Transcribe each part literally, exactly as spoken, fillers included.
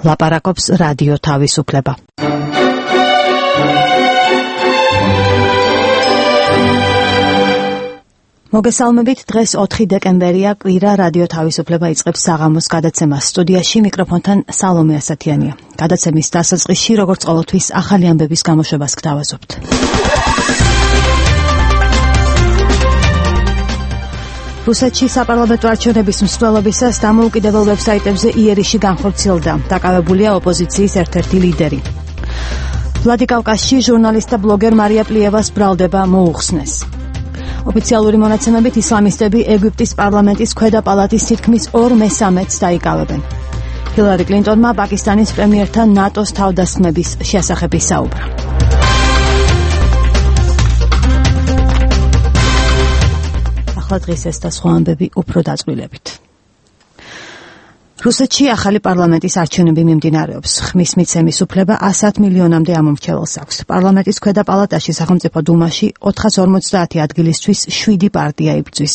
ლაპარაკობს რადიო თავისუფლება. მოგესალმებით, დღეს ოთხი დეკემბერია, კვირა, რადიო თავისუფლება იწყებს საღამოს გადაცემას. სტუდიაში მიკროფონთან სალომე ასათიანია. გადაცემის დასაწყისში, როგორც ყოველთვის, ახალი ამბების გამოშვებას გთავაზობთ. რუსეთში საპარლამენტო არჩევნების მსვლელობისას დამოუკიდებელ ვებსაიტებზე იერიში განხორციელდა. დაკავებულია ოპოზიციის ერთ-ერთი ლიდერი. ვლადიკავკაზში ჟურნალისტ და ბლოგერ მარია პლიევას ბრალდება მოუხსნეს. ოფიციალური მონაცემებით ისლამისტები ეგვიპტის პარლამენტის ქვედა პალატის თითქმის ორ მესამედს დაიკავებენ. ჰილარი კლინტონმა პაკისტანის პრემიერთან ნატოს თავდასხმების შესახებ ისაუბრა. ახლა დღეს ეს და სხვა ამბები უფრო დაწვრილებით. რუსეთში ახალი პარლამენტის არჩევნები მიმდინარეობს. ხმის მიცემის უფლება ასად მილიონამდე ამომრჩეველს აქვს. პარლამენტის ქვედა პალატაში სახელმწიფო დუმაში ოთხას ორმოცდაათი ადგილისთვის შვიდი პარტია იბრძვის.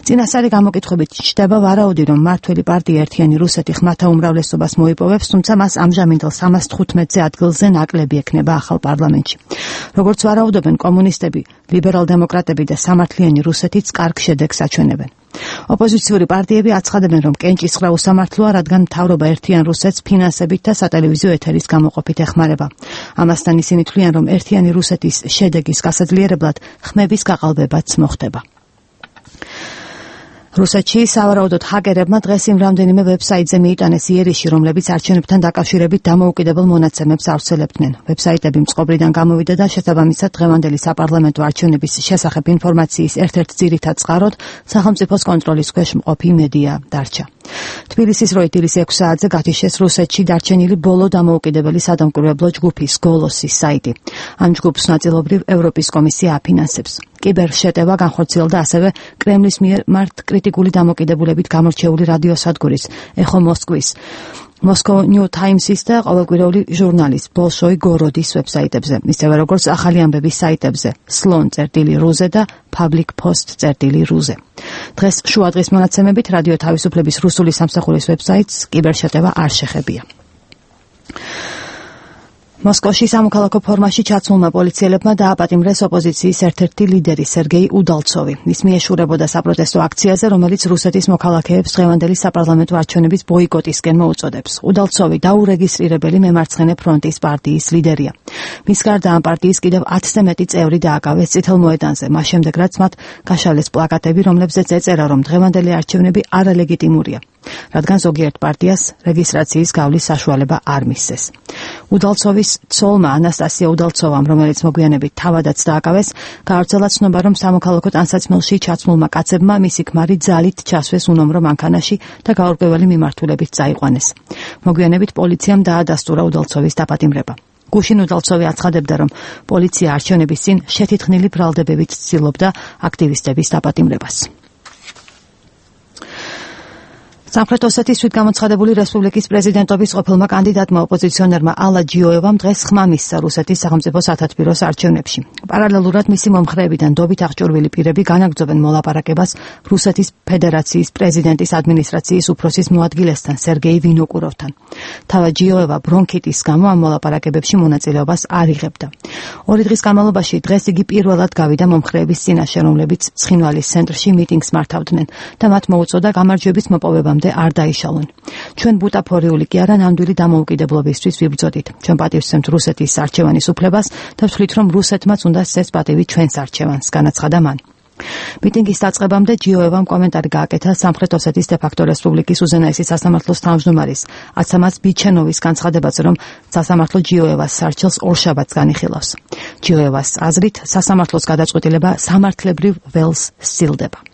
წინასწარი გამოკითხვებით ჩნდება ვარაუდი, რომ მმართველი პარტია ერთიანი რუსეთი ხმათა უმრავლესობას მოიპოვებს, თუმცა მას ამჟამინდელ სამას თხუთმეტზე ადგილზე ნაკლები ექნება ახალ პარლამენტში. როგორც ვარაუდობენ კომუნისტები, ლიბერალ-დემოკრატები და სამართლიანი რუსეთიც კარგ შედეგს აჩვენებენ. ოპოზიციური პარტიები აცხადებენ, რომ კენჭისყრა უსამართლოა, რადგან მთავრობა ერთიან რუსეთს ფინანსებით და სატელევიზიო ეთერის გამოყოფით ეხმარება. ამასთან ისინი თვლიან, რომ ერთიანი რუსეთის შედეგის გასაძლიერებლად ხმების გაყალბებაც მოხდება. რუსეთში სავარაუდოდ ჰაკერებმა დღეს იმ რამდენიმე ვებსაიტზე მიიტანეს იერიში, რომლებიც არჩევნებთან დაკავშირებით დამოუკიდებელ მონაცემებს ავრცელებდნენ. ვებსაიტები მწყობრიდან გამოვიდა და შესაბამისად დღევანდელი საპარლამენტო არჩევნების შესახებ ინფორმაციის ერთ-ერთ ძირითად წყაროდ სახელმწიფოს კონტროლის ქვეშ მყოფი მედია დარჩა. თბილისის როიტერის ექვს საათზე გათიშეს რუსეთში დარჩენილი ბოლო დამოუკიდებელი სადამკვირვებლო ჯგუფის გოლოსის საიტი. ამ ჯგუფს ნაწილობრივ ევროპის კომისია აფინანსებს. კიბერშეტევა განხორციელდა ასევე კრემლის მიერ მართ კრიტიკული დამოკიდებულებით გამორჩეული რადიოსადგურის ეხო მოსკვის, Moscow New Times-ის და ყოველკვირეული ჟურნალის ბოლშოი გოროდის ვებსაიტებზე, ისევე როგორც ახალი ამბების საიტებზე slon.ru-ზე და public post.ru-ზე. დღეს შუადღის მონაცემებით რადიო თავისუფლების რუსული სამსახურის ვებსაიტს კიბერშეტევა არ შეხებია. მოსკოვში სამოქალაქო ფორმაში ჩაცმულმა პოლიციელებმა დააპატიმრეს ოპოზიციის ერთ-ერთი ლიდერი სერგეი უდალცოვი. ის მიეშურებოდა საპროტესტო აქციაზე, რომელიც რუსეთის მოქალაქეებს დღევანდელი საპარლამენტო არჩევნების ბოიკოტისკენ მოუწოდებს. უდალცოვი დაურეგისტრირებელი მემარცხენე ფრონტის პარტიის ლიდერია. მის გარდა ამ პარტიის კიდევ ათზე მეტი წევრი დააკავეს წითელ მოედანზე, მას შემდეგ რაც მათ გაშალეს პლაკატები, რომლებზეც ეწერა, რომ დღევანდელი არჩევნები არალეგიტიმურია, რადგან ზოგიერთ პარტიას რეგისტრაციის გავლის საშუალება არ მისცეს. უდალცოვის ცოლმა ანასტასია უდალცოვამ, რომელიც მოგვიანებით თავადაც დააკავეს, გაავრცელა ცნობა, რომ სამოქალაქო ტანსაცმელში ჩაცმულმა კაცებმა მისი ქმარი ძალით ჩასვეს უნომრო მანქანაში და გაურკვეველი მიმართულებით წაიყვანეს. მოგვიანებით პოლიციამ დაადასტურა უდალცოვის დაპატიმრება. გუშინ უდალცოვი აცხადებდა, რომ პოლიცია არჩევნების წინ შეთითხნილი ბრალდებებით ცდილობდა აქტივისტების დაპატიმრებას. სამხრეთ ოსეთის თვითგამოცხადებული რესპუბლიკის პრეზიდენტობის ყოფილმა კანდიდატმა ოპოზიციონერმა ალა ჯიოევამ დღეს ხმა მისცა რუსეთის სახელმწიფო სათათბიროს არჩევნებში. პარალელურად მისი მომხრეებიდან დობით აღჭურვილი პირები განაგრძობენ მოლაპარაკებას რუსეთის ფედერაციის პრეზიდენტის ადმინისტრაციის უფროსის მოადგილესთან სერგეი ვინოკუროვთან. თავად ჯიოევა ბრონქიტის გამო ამ მოლაპარაკებებში მონაწილეობას არ იღებდა. ორი დღის განმავლობაში დღეს იგი პირველად გავიდა მომხრეების წინაშე, რომლებიც ცხინვალის ცენტრში მიტინგს მართავდნენ და მათ მოუწოდა გამარჯვების მოპოვებამ არ დაიშალონ. ჩვენ ბუტაფორიული კი არა, ნამდვილი დამოუკიდებლობისთვის ვიბრძოდით. ჩვენ პატივისცემთ რუსეთის არჩევანის უფლებას და ვთვლით, რომ რუსეთმაც უნდა სცეს პატივი ჩვენს არჩევანს, განაცხადა მან. მიტინგის დაწყებამდე ჯიოევამ კომენტარი გააკეთა სამხრეთ ოსეთის დე-ფაქტო რესპუბლიკის უზენაესი სასამართლოს თავმჯდომარის აცამას ბიჩენოვის განცხადებაზე, რომ სასამართლო ჯიოევას სარჩელს ორშაბათს განიხილავს. ჯიოევას აზრით, სასამართლოს გადაწყვეტილება სამართლებრივ ველს სცილდება.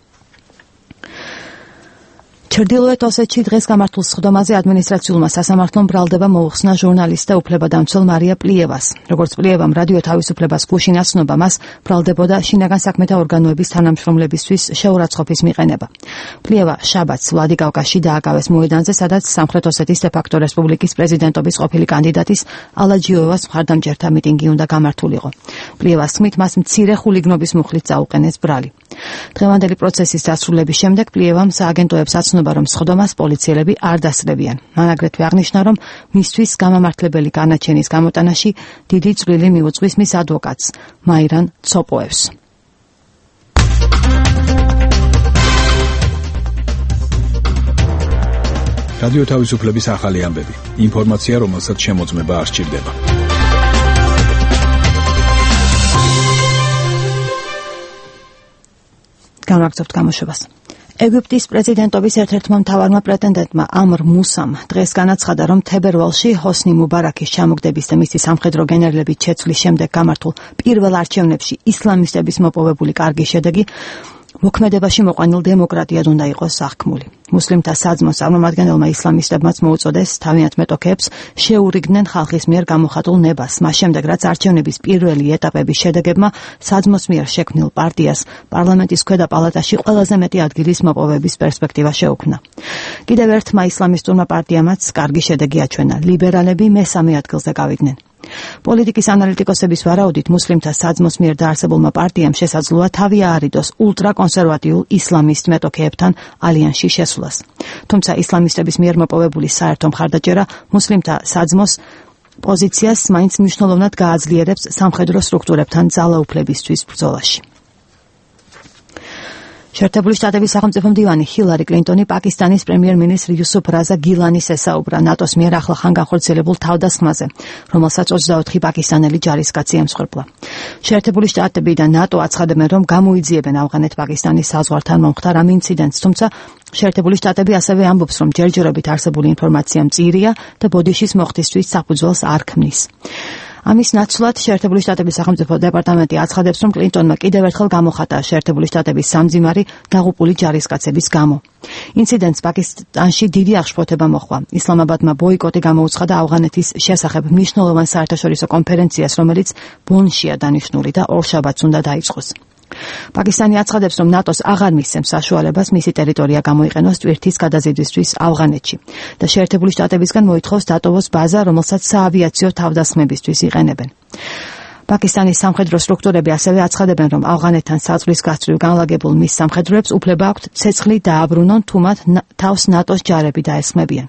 ჩრდილოეთ ოსეთში დღეს გამართულ სხდომაზე ადმინისტრაციულმა სასამართლომ ბრალდება მოუხსნა ჟურნალისტ და უფლებადამცველ მარია პლიევას. როგორც პლიევამ რადიო თავისუფლებას გუშინ აცნობა, მას ბრალდებოდა შინაგან საქმეთა ორგანოების თანამშრომლებისთვის შეურაცხყოფის მიყენება. პლიევა შაბათს ვლადიკავკაზში დააკავეს მოედანზე, სადაც სამხრეთ ოსეთის დე-ფაქტო რესპუბლიკის პრეზიდენტობის ყოფილი კანდიდატის ალა ჯიოევას მხარდამჭერთა მიტინგი უნდა გამართულიყო. პლიევას თქმით, მას მცირე ხულიგნობის მუხლით წაუყენეს ბრალი. დღევანდელი პროცესის დასრულების შემდეგ პლიევამ სააგენტოებს აცნობა გრძნობა, რომ სხდომას პოლიციელები არ დასწრებიან. მან აგრეთვე აღნიშნა, რომ მისთვის გამამართლებელი განაჩენის გამოტანაში დიდი წვლილი მიუძღვის მის ადვოკატს, მაირან ცოპოევს. რადიო თავისუფლების ახალი ამბები. ინფორმაცია, რომელსაც შემოწმება არ სჭირდება. განვაგრძობთ გამოშვებას. ეგვიპტის პრეზიდენტობის ერთ-ერთმა მთავარმა პრეტენდენტმა ამრ მუსამ დღეს განაცხადა, რომ თებერვალში ჰოსნი მუბარაქის ჩამოგდების და მისი სამხედრო გენერლების შეცვლის შემდეგ გამართულ პირველ არჩევნებში ისლამისტების მოპოვებული კარგი შედეგი მოქმედებაში მოყვანილ დემოკრატიად უნდა იყოს აღქმული. მუსლიმთა საძმოს წარმომადგენელმა ისლამისტებმაც მოუწოდეს თავიანთ მეტოქეებს შეურიგდნენ ხალხის მიერ გამოხატულ ნებას, მას შემდეგ რაც არჩევნების პირველი ეტაპების შედეგებმა საძმოს მიერ შექმნილ პარტიას პარლამენტის ქვედა პალატაში ყველაზე მეტი ადგილის მოპოვების პერსპექტივა შეუქმნა. კიდევ ერთმა ისლამისტურმა პარტიამაც კარგი შედეგი აჩვენა, ლიბერალები მესამე ადგილზე გავიდნენ. პოლიტიკის ანალიტიკოსების ვარაუდით მუსლიმთა საძმოს მიერ დაარსებულმა პარტიამ შესაძლოა თავი აარიდოს ულტრაკონსერვატიულ ისლამისტ მეტოქეებთან ალიანსში შესვლას. თუმცა ისლამისტების მიერ მოპოვებული საერთო მხარდაჭერა მუსლიმთა საძმოს პოზიციას მაინც მნიშვნელოვნად გააძლიერებს სამხედრო სტრუქტურებთან ძალაუფლებისთვის ბრძოლაში. შეერთებული შტატების სახელმწიფო მდივანი ჰილარი კლინტონი პაკისტანის პრემიერ-მინისტრ იუსუფ რაზა გილანის ესაუბრა ნატოს მიერ ახლახან განხორციელებულ თავდასხმაზე, რომელსაც ოცდაოთხი პაკისტანელი ჯარისკაცი ემსხვერპლა. შეერთებული შტატები და ნატო აცხადებენ, რომ გამოიძიებენ ავღანეთ-პაკისტანის საზღვართან მომხდარ ამ ინციდენტს, თუმცა შეერთებული შტატები ასევე ამბობს, რომ ჯერჯერობით არსებული ინფორმაცია მწირია და ბოდიშის მოხდისთვის საფუძველს არ ქმნის. ამის ნაცვლად შეერთებული შტატების სახელმწიფო დეპარტამენტი აცხადებს, რომ კლინტონმა კიდევ ერთხელ გამოხატა შეერთებული შტატების სამძიმარი დაღუპული ჯარისკაცების გამო. ინციდენტს პაკისტანში დიდი აღშფოთება მოჰყვა. ისლამაბადმა ბოიკოტი გამოუცხადა ავღანეთის შესახებ მნიშვნელოვან საერთაშორისო კონფერენციას, რომელიც ბონშია დანიშნული და ორშაბათს უნდა დაიწყოს. პაკისტანი აცხადებს, რომ ნატოს აღარ მისცემს საშუალებას მისი ტერიტორია გამოიყენოს ტვირთის გადაზიდვისთვის ავღანეთში და შეერთებული შტატებისგან მოითხოვს დატოვოს ბაზა, რომელსაც საავიაციო თავდასხმებისთვის იყენებენ. პაკისტანის სამხედრო სტრუქტურები ასევე აცხადებენ, რომ ავღანეთთან საზღვრის გასწვრივ განლაგებულ მის სამხედროებს უფლება აქვთ ცეცხლი დააბრუნონ, თუ მათ თავს ნატოს ჯარები დაესხმებიან.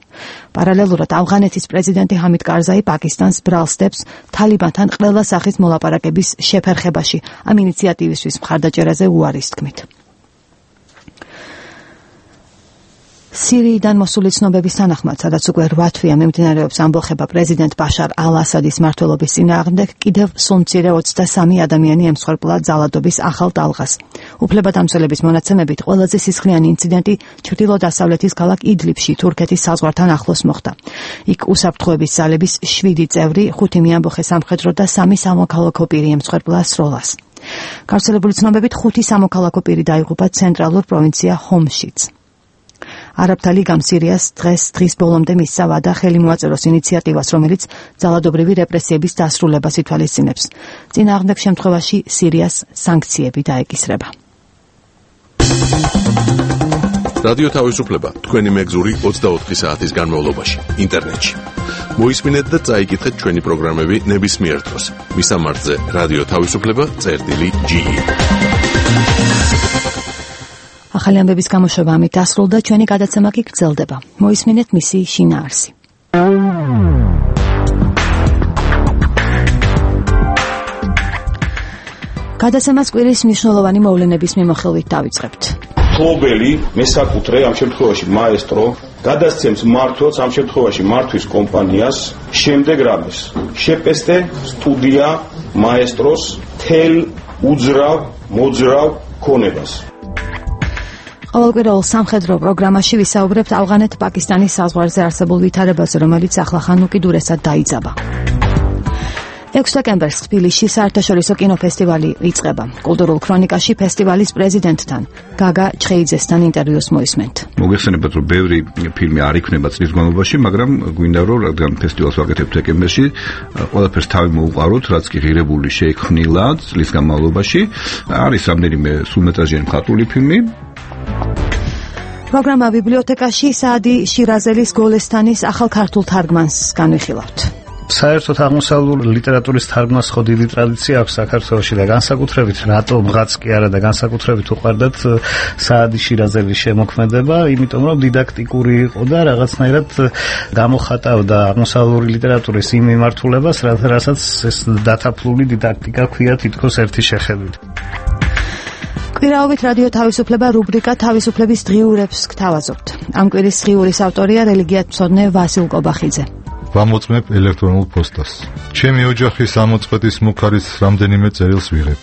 პარალელურად ავღანეთის პრეზიდენტი ჰამიდ კარზაი პაკისტანს ბრალს დებს თალიბანთან ყველა სახის მოლაპარაკების შეფერხებაში, ამ ინიციატივისთვის მხარდაჭერაზე უარის თქმით. სირიიდან მოსული ცნობების თანახმად, სადაც უკვე რვა თვეა მიმდინარეობს ამბოხება პრეზიდენტ ბაშარ ალ-ასადის მმართველობის წინააღმდეგ, კიდევ სულ-მცირე ოცდასამი ადამიანი ემსხვერპლა ძალადობის ახალ ტალღას. უფლებადამცველების მონაცემებით ყველაზე სისხლიანი ინციდენტი ჩრდილო-დასავლეთის ქალაქ იდლიბში, თურქეთის საზღვართან ახლოს მოხდა. იქ უსაფრთხოების ძალების შვიდი წევრი, ხუთი მიამბოხე სამხედრო და სამი სამოქალაქო პირი ემსხვერპლა სროლას. გავრცელებული ცნობებით ხუთი სამოქალაქო პირი დაიღუპა ცენტრალურ პროვინცია ჰომშიც. არაბთა ლიგამ სირიას დღეს დღის ბოლომდე მისცა ვადა ხელი მოაწეროს ინიციატივას, რომელიც ძალადობრივი რეპრესიების დასრულებას ითვალისწინებს. წინააღმდეგ შემთხვევაში სირიას სანქციები დაეკისრება. რადიო თავისუფლება თქვენი მეგზური ოცდაოთხი საათის განმავლობაში ინტერნეტში. მოისმინეთ და წაიკითხეთ ჩვენი პროგრამები ნებისმიერ დროს. მისამართზე რადიო თავისუფლება წერტილი ჯი. ახალი ამბების გამოშვება ამით დასრულდა, ჩვენი გადაცემა კი გრძელდება. მოისმინეთ მისი შინაარსი. გადაცემას კვირის მნიშვნელოვანი მოვლენების მიმოხილვით დავიწყებთ. მფლობელი, მესაკუთრე, ამ შემთხვევაში მაესტრო, გადასცემს მმართველს, ამ შემთხვევაში მართვის კომპანიას, შემდეგ რამეს. შეპესტე სტუდია მაესტროს თელ უძრავ, მოძრავ ქონებას. ყოველკვირეულ სამხედრო პროგრამაში ვისაუბრებთ ავღანეთ-პაკისტანის საზღვარზე არსებულ ვითარებაზე, რომელიც ახლახან უკიდურესად დაიძაბა. ექვსი დეკემბერს თბილისში საერთაშორისო კინოფესტივალი იწყება. კულტურულ ქრონიკაში ფესტივალის პრეზიდენტთან, გაგა ჩხეიძესთან ინტერვიუს მოისმენთ. მოგეხსენებათ, რომ ბევრი ფილმი არ იქნება წლის განმავლობაში, მაგრამ გვინდა რომ რადგან ფესტივალს ვაკეთებთ დეკემბერში, ყველაფერს თავი მოუყაროთ, რაც კი ღირებული შეიქმნილა წლის განმავლობაში. არის რამდენიმე სრულმეტრაჟიანი მხატვრული ფილმი. პროგრამა ბიბლიოთეკაში საადი შირაზელის გოლესტანის ახალ ქართულ თარგმანს განვიხილავთ. საერთოდ აღმოსავლური ლიტერატურის თარგმნას ხო დიდი ტრადიცია აქვს საქართველოში და განსაკუთრებით რატომღაც კი არა და განსაკუთრებით უყვარდათ საადი შირაზელის შემოქმედება, იმიტომ რომ დიდაქტიკური იყო და რაღაცნაირად გამოხატავდა აღმოსავლური ლიტერატურის იმ მიმართულებას, რასაც ეს დათაფლული დიდაქტიკა ქვია თითქოს ერთი შეხედვით. კვირაობით რადიო თავისუფლება რუბრიკა თავისუფლების დღიურებს გთავაზობთ. ამ კვირის დღიურის ავტორია რელიგიათმცოდნე ვასილ კობახიძე. ვამოწმებ ელექტრონულ პოსტას. ჩემი ოჯახის ამოწყვეტის მუქარის რამდენიმე წერილს ვიღებ.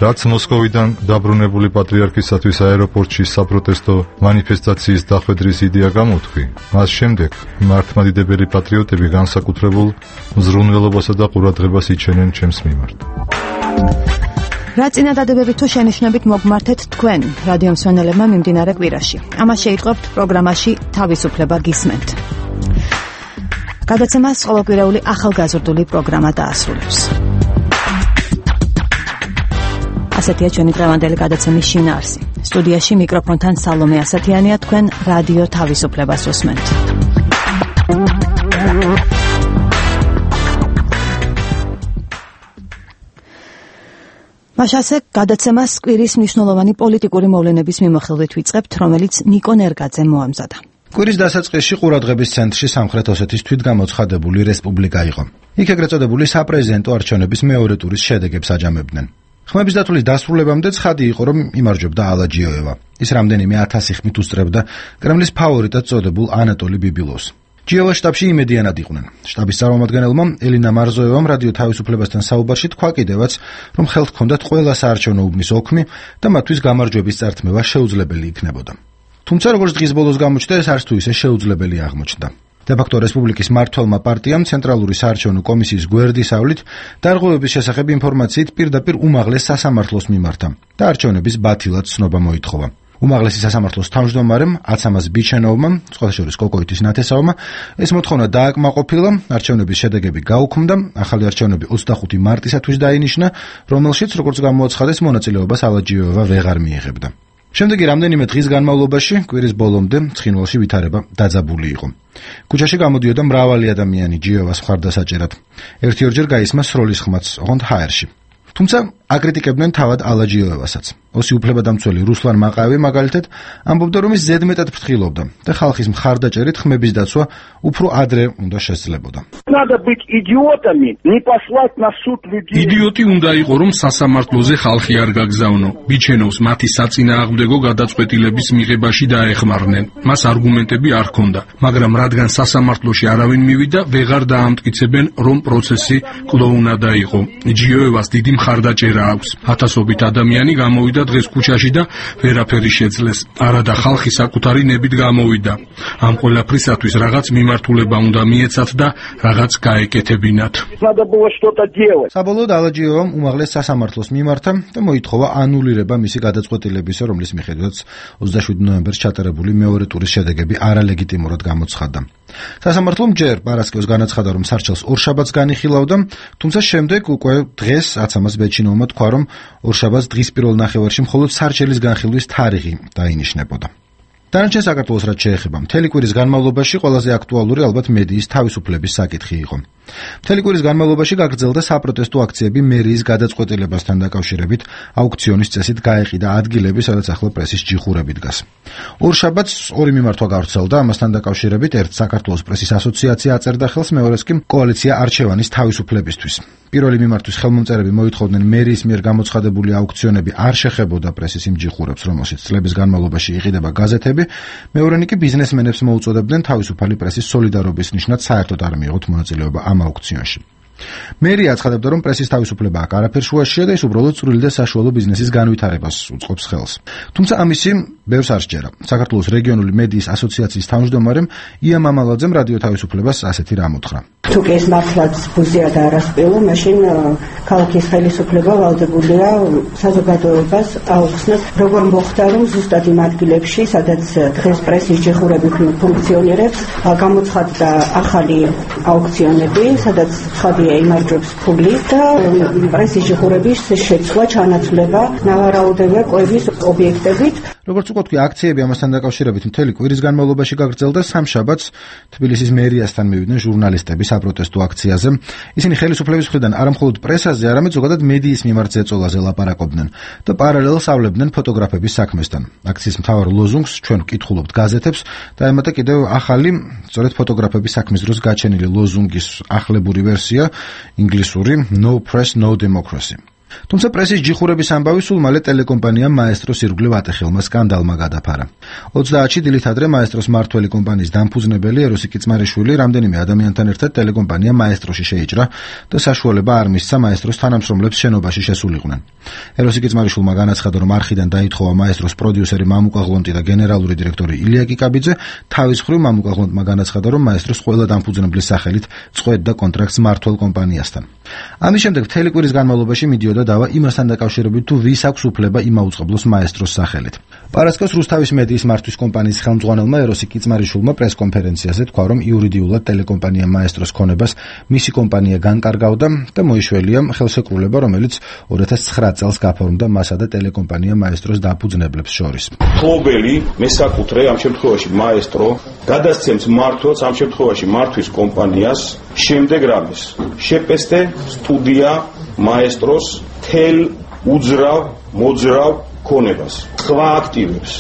რაც მოსკოვიდან დაბრუნებული პატრიარქისათვის აეროპორტში საპროტესტო მანიფესტაციის დახვედრის იდეა გამოთქვი, მას შემდეგ მართლმადიდებელი პატრიოტები განსაკუთრებულ მზრუნველობასა და ყურადღებას იჩენენ ჩემს მიმართ. რა წინადადებებით თუ შენიშვნებით მოგმართეთ თქვენ რადიო მსმენელებმა მიმდინარე კვირაში. ამას შეიტყობთ პროგრამაში თავისუფლება გისმენთ. გადაცემას ყოველკვირეული ახალგაზრდული პროგრამა დაასრულებს. ასეთია ჩვენი დღევანდელი გადაცემის შინაარსი. სტუდიაში მიკროფონთან სალომე ასათიანია, თქვენ რადიო თავისუფლებას უსმენთ. მაშასე გადაცემას კვირის მნიშვნელოვანი პოლიტიკური მოვლენების მიმოხილვით ვიწყებთ, რომელიც ნიკო ნერგაძემ მოამზადა. კვირის დასაწყისში ყურადღების ცენტრში სამხრეთ ოსეთის თვითგამოცხადებული რესპუბლიკა იყო. იქ ეგრეთ წოდებული საპრეზიდენტო არჩევნების მეორე ტურის შედეგებს აჯამებდნენ. ხმების დათვლის დასრულებამდე ცხადი იყო, რომ იმარჯვებდა ალაჯიოევა. ის რამდენიმე ათასი ხმით უსწრებდა კრემლის ფავორიტად წოდებულ ანატოლი ბიბილოვს. ჯიოვას შტაბში იმედიანად იყვნენ. შტაბის წარმომადგენელმა ელინა მარზოევამ რადიო თავისუფლებასთან საუბარში თქვა კიდევაც, რომ ხელთ ჰქონდათ ყველა საარჩევნო უბნის ოქმი და მათთვის გამარჯვების წართმევა შეუძლებელი იქნებოდა. თუმცა როგორც დღის ბოლოს გამოჩნდა, ეს არც თუ ისე შეუძლებელი აღმოჩნდა. დე-ფაქტო რესპუბლიკის მმართველმა პარტიამ ცენტრალური საარჩევნო კომისიის გვერდისავლით დარღვევების შესახებ ინფორმაციით პირდაპირ უმაღლეს სასამართლოს მიმართა და არჩევნების ბათილად ცნობა მოითხოვა. უმაღლესი სასამართლოს თავმჯდომარემ აცამას ბიჩენოვმა, სხვათა შორის კოკოიტის ნათესავმა, ეს მოთხოვნა დააკმაყოფილა, არჩევნების შედეგები გაუქმდა, ახალი არჩევნები ოცდახუთი მარტისათვის დაინიშნა, რომელშიც, როგორც გამოაცხადეს, მონაწილეობას ალაჯიოევა ვეღარ მიიღებდა. შემდეგი რამდენიმე დღის განმავლობაში, კვირის ბოლომდე, ცხინვალში ვითარება დაძაბული იყო. ქუჩაში გამოდიოდა მრავალი ადამიანი ჯიოვას მხარდასაჭერად. ერთი-ორჯერ გაისმა სროლის ხმაც, ოღონდ ჰაერში. თუმცა აკრიტიკებდნენ თავად ალაჯიოევასაც. ოსი უფლებადამცველი რუსლან მაყაევი მაგალითად ამბობდა, რომ ის ზედმეტად ფრთხილობდა და ხალხის მხარდაჭერით ხმების დაცვა უფრო ადრე უნდა შესძლებოდა. იდიოტი უნდა იყო, რომ სასამართლოზე ხალხი არ გაგზავნო. ბიჩენოვს მათი საწინააღმდეგო გადაწყვეტილების მიღებაში დაეხმარნენ. მას არგუმენტები არ ჰქონდა, მაგრამ რადგან სასამართლოში არავინ მივიდა, ვეღარ დაამტკიცებენ, რომ პროცესი კლოუნადა იყო. ჯიოევას დიდი მხარდაჭერა აქვს. ათასობით ადამიანი გამოვიდა დღეს ქუჩაში და ვერაფერი შეძლეს. არადა ხალხი საკუთარი ნებით გამოვიდა. ამ ყველაფრისათვის რაღაც მიმართულება უნდა მიეცათ და რაღაც გაეკეთებინათ. საბოლოოდ ალაჯიოვამ უმაღლეს სასამართლოს მიმართა და მოითხოვა ანულირება მისი გადაწყვეტილებისა, რომლის მიხედვითაც ოცდაშვიდი ნოემბერს ჩატარებული მეორე ტურის შედეგები არალეგიტიმურად გამოცხადდა. სასამართლომ ჯერ პარასკევს განაცხადა, რომ სარჩელს ორშაბათს განიხილავდა, თუმცა შემდეგ უკვე დღეს აცამას ბეჩინოვმა თქვა, რომ ორშაბათს დღის პირველ ნახევარში მხოლოდ სარჩელის განხილვის თარიღი დაინიშნებოდა. დანარჩენ საქართველოს რაც შეეხება, მთელი კვირის განმავლობაში ყველაზე აქტუალური ალბათ მედიის თავისუფლების საკითხი იყო. მთელი კვირის განმავლობაში გაგრძელდა საპროტესტო აქციები მერიის გადაწყვეტილებასთან დაკავშირებით, აუქციონის წესით გაეყიდა ადგილები, სადაც ახლა პრესის ჯიხურები დგას. ორშაბათს ორი მიმართვა გავრცელდა, ამასთან დაკავშირებით ერთ საქართველოს პრესის ასოციაცია აწერდა ხელს, მეორეს კი კოალიცია არჩევანის თავისუფლებისთვის. პირველი მიმართვის ხელმომწერები მოითხოვდნენ მერიის მიერ გამოცხადებული აუქციონები არ შეხებოდა პრესის იმ ჯიხურებს, რომელშიც წლების განმავლობაში იყიდება გაზეთები, მეორენი კი ბიზნესმენებს მოუწოდებდნენ თავისუფალი პრესის სოლიდარობის ნიშნად საერთოდ არ მიიღოთ მონაწილეობა ამ აუქციონში. მერია აცხადებდა, რომ პრესის თავისუფლება აქ არაფერ შუაშია და ის უბრალოდ წვრილი და საშუალო ბიზნესის განვითარებას უწყობს ხელს. თუმცა ამისი ბევრს არ სჯერა. საქართველოს რეგიონული მედიის ასოციაციის თავმჯდომარემ ია მამალაძემ რადიო თავისუფლებას ასეთი რამ უთხრა. თუ კი ეს მართლაც ბუზია და არასპილო, მაშინ ქალაქის ხელისუფლება ვალდებულია საზოგადოებას აუხსნას, როგორ მოხდა, რომ ზუსტად იმ ადგილებში, სადაც დღეს პრესის ჯიხურები ფუნქციონირებს, გამოცხადდა ახალი აუქციონები, სადაც ხადია იმარჯვებს ფული და პრესის ჯიხურების შეცვლა, ჩანაცვლება, ნავარაუდებია კვების ობიექტებით. როგორც უკვე თქვი, აქციები ამასთან დაკავშირებით მთელი კვირის განმავლობაში გაგრძელდა. სამშაბათს თბილისის მერიასთან მივიდნენ ჟურნალისტები საპროტესტო აქციაზე. ისინი ხელისუფლების მხრიდან არამხოლოდ პრესაზე, არამედ ზოგადად მედიის მიმართ ზეწოლაზე ლაპარაკობდნენ და პარალელს ავლებდნენ ფოტოგრაფების საქმესთან. აქციის მთავარ ლოზუნგს ჩვენ ვკითხულობთ გაზეთებს და ემატა კიდევ ახალი, სწორედ ფოტოგრაფების საქმის დროს გაჩენილი ლოზუნგის ახლებური ვერსია, ინგლისური No Press, No Democracy. თუმცა პრესის ჯიხურების ამბავი სულ მალე ტელეკომპანია მაესტროს ირგვლივ ატეხილმა სკანდალმა გადაფარა. ოცდაათში დილით ადრე მაესტროს მმართველი კომპანიის დამფუძნებელი ეროსი კიწმარიშვილი რამდენიმე ადამიანთან ერთად ტელეკომპანია მაესტროში შეიჭრა და საშუალება არ მისცა მაესტროს თანამშრომლებს შენობაში შესულიყვნენ. ეროსი კიწმარიშვილმა განაცხადა, რომ არხიდან დაითხოვა მაესტროს პროდიუსერი მამუკა ღლონტი და გენერალური დირექტორი ილია კიკაბიძე. თავის მხრივ მამუკა ღლონტმა განაცხადა, რომ მაესტროს ყველა დამფუძნებლის სახელით წყვეტდა კონტრაქტს მმართველ კომპანიასთან. ამის შემდეგ მთელი კვირის განმავლობაში მიდიოდა დავა იმასთან დაკავშირებით, თუ ვის აქვს უფლება იმაუწყებლოს მაესტროს სახელით. პარასკევს რუსთავის მედიის მართვის კომპანიის ხელმძღვანელმა ეროსი კიწმარიშვილმა პრესკონფერენციაზე თქვა, რომ იურიდიულად ტელეკომპანია მაესტროს ქონებას მისი კომპანია განკარგავდა და მოიშველია ხელშეკრულება, რომელიც ორი ათას ცხრა წელს გაფორმდა მასა და ტელეკომპანია მაესტროს დაფუძნებლებს შორის. მფლობელი მესაკუთრე ამ შემთხვევაში მაესტრო გადასცემს მმართველს ამ შემთხვევაში მართვის კომპანიას შემდეგ რამის შეპესტე სტუდია მაესტროს თელ უძრავ მოძრავ ქონებას სხვა აქტივებს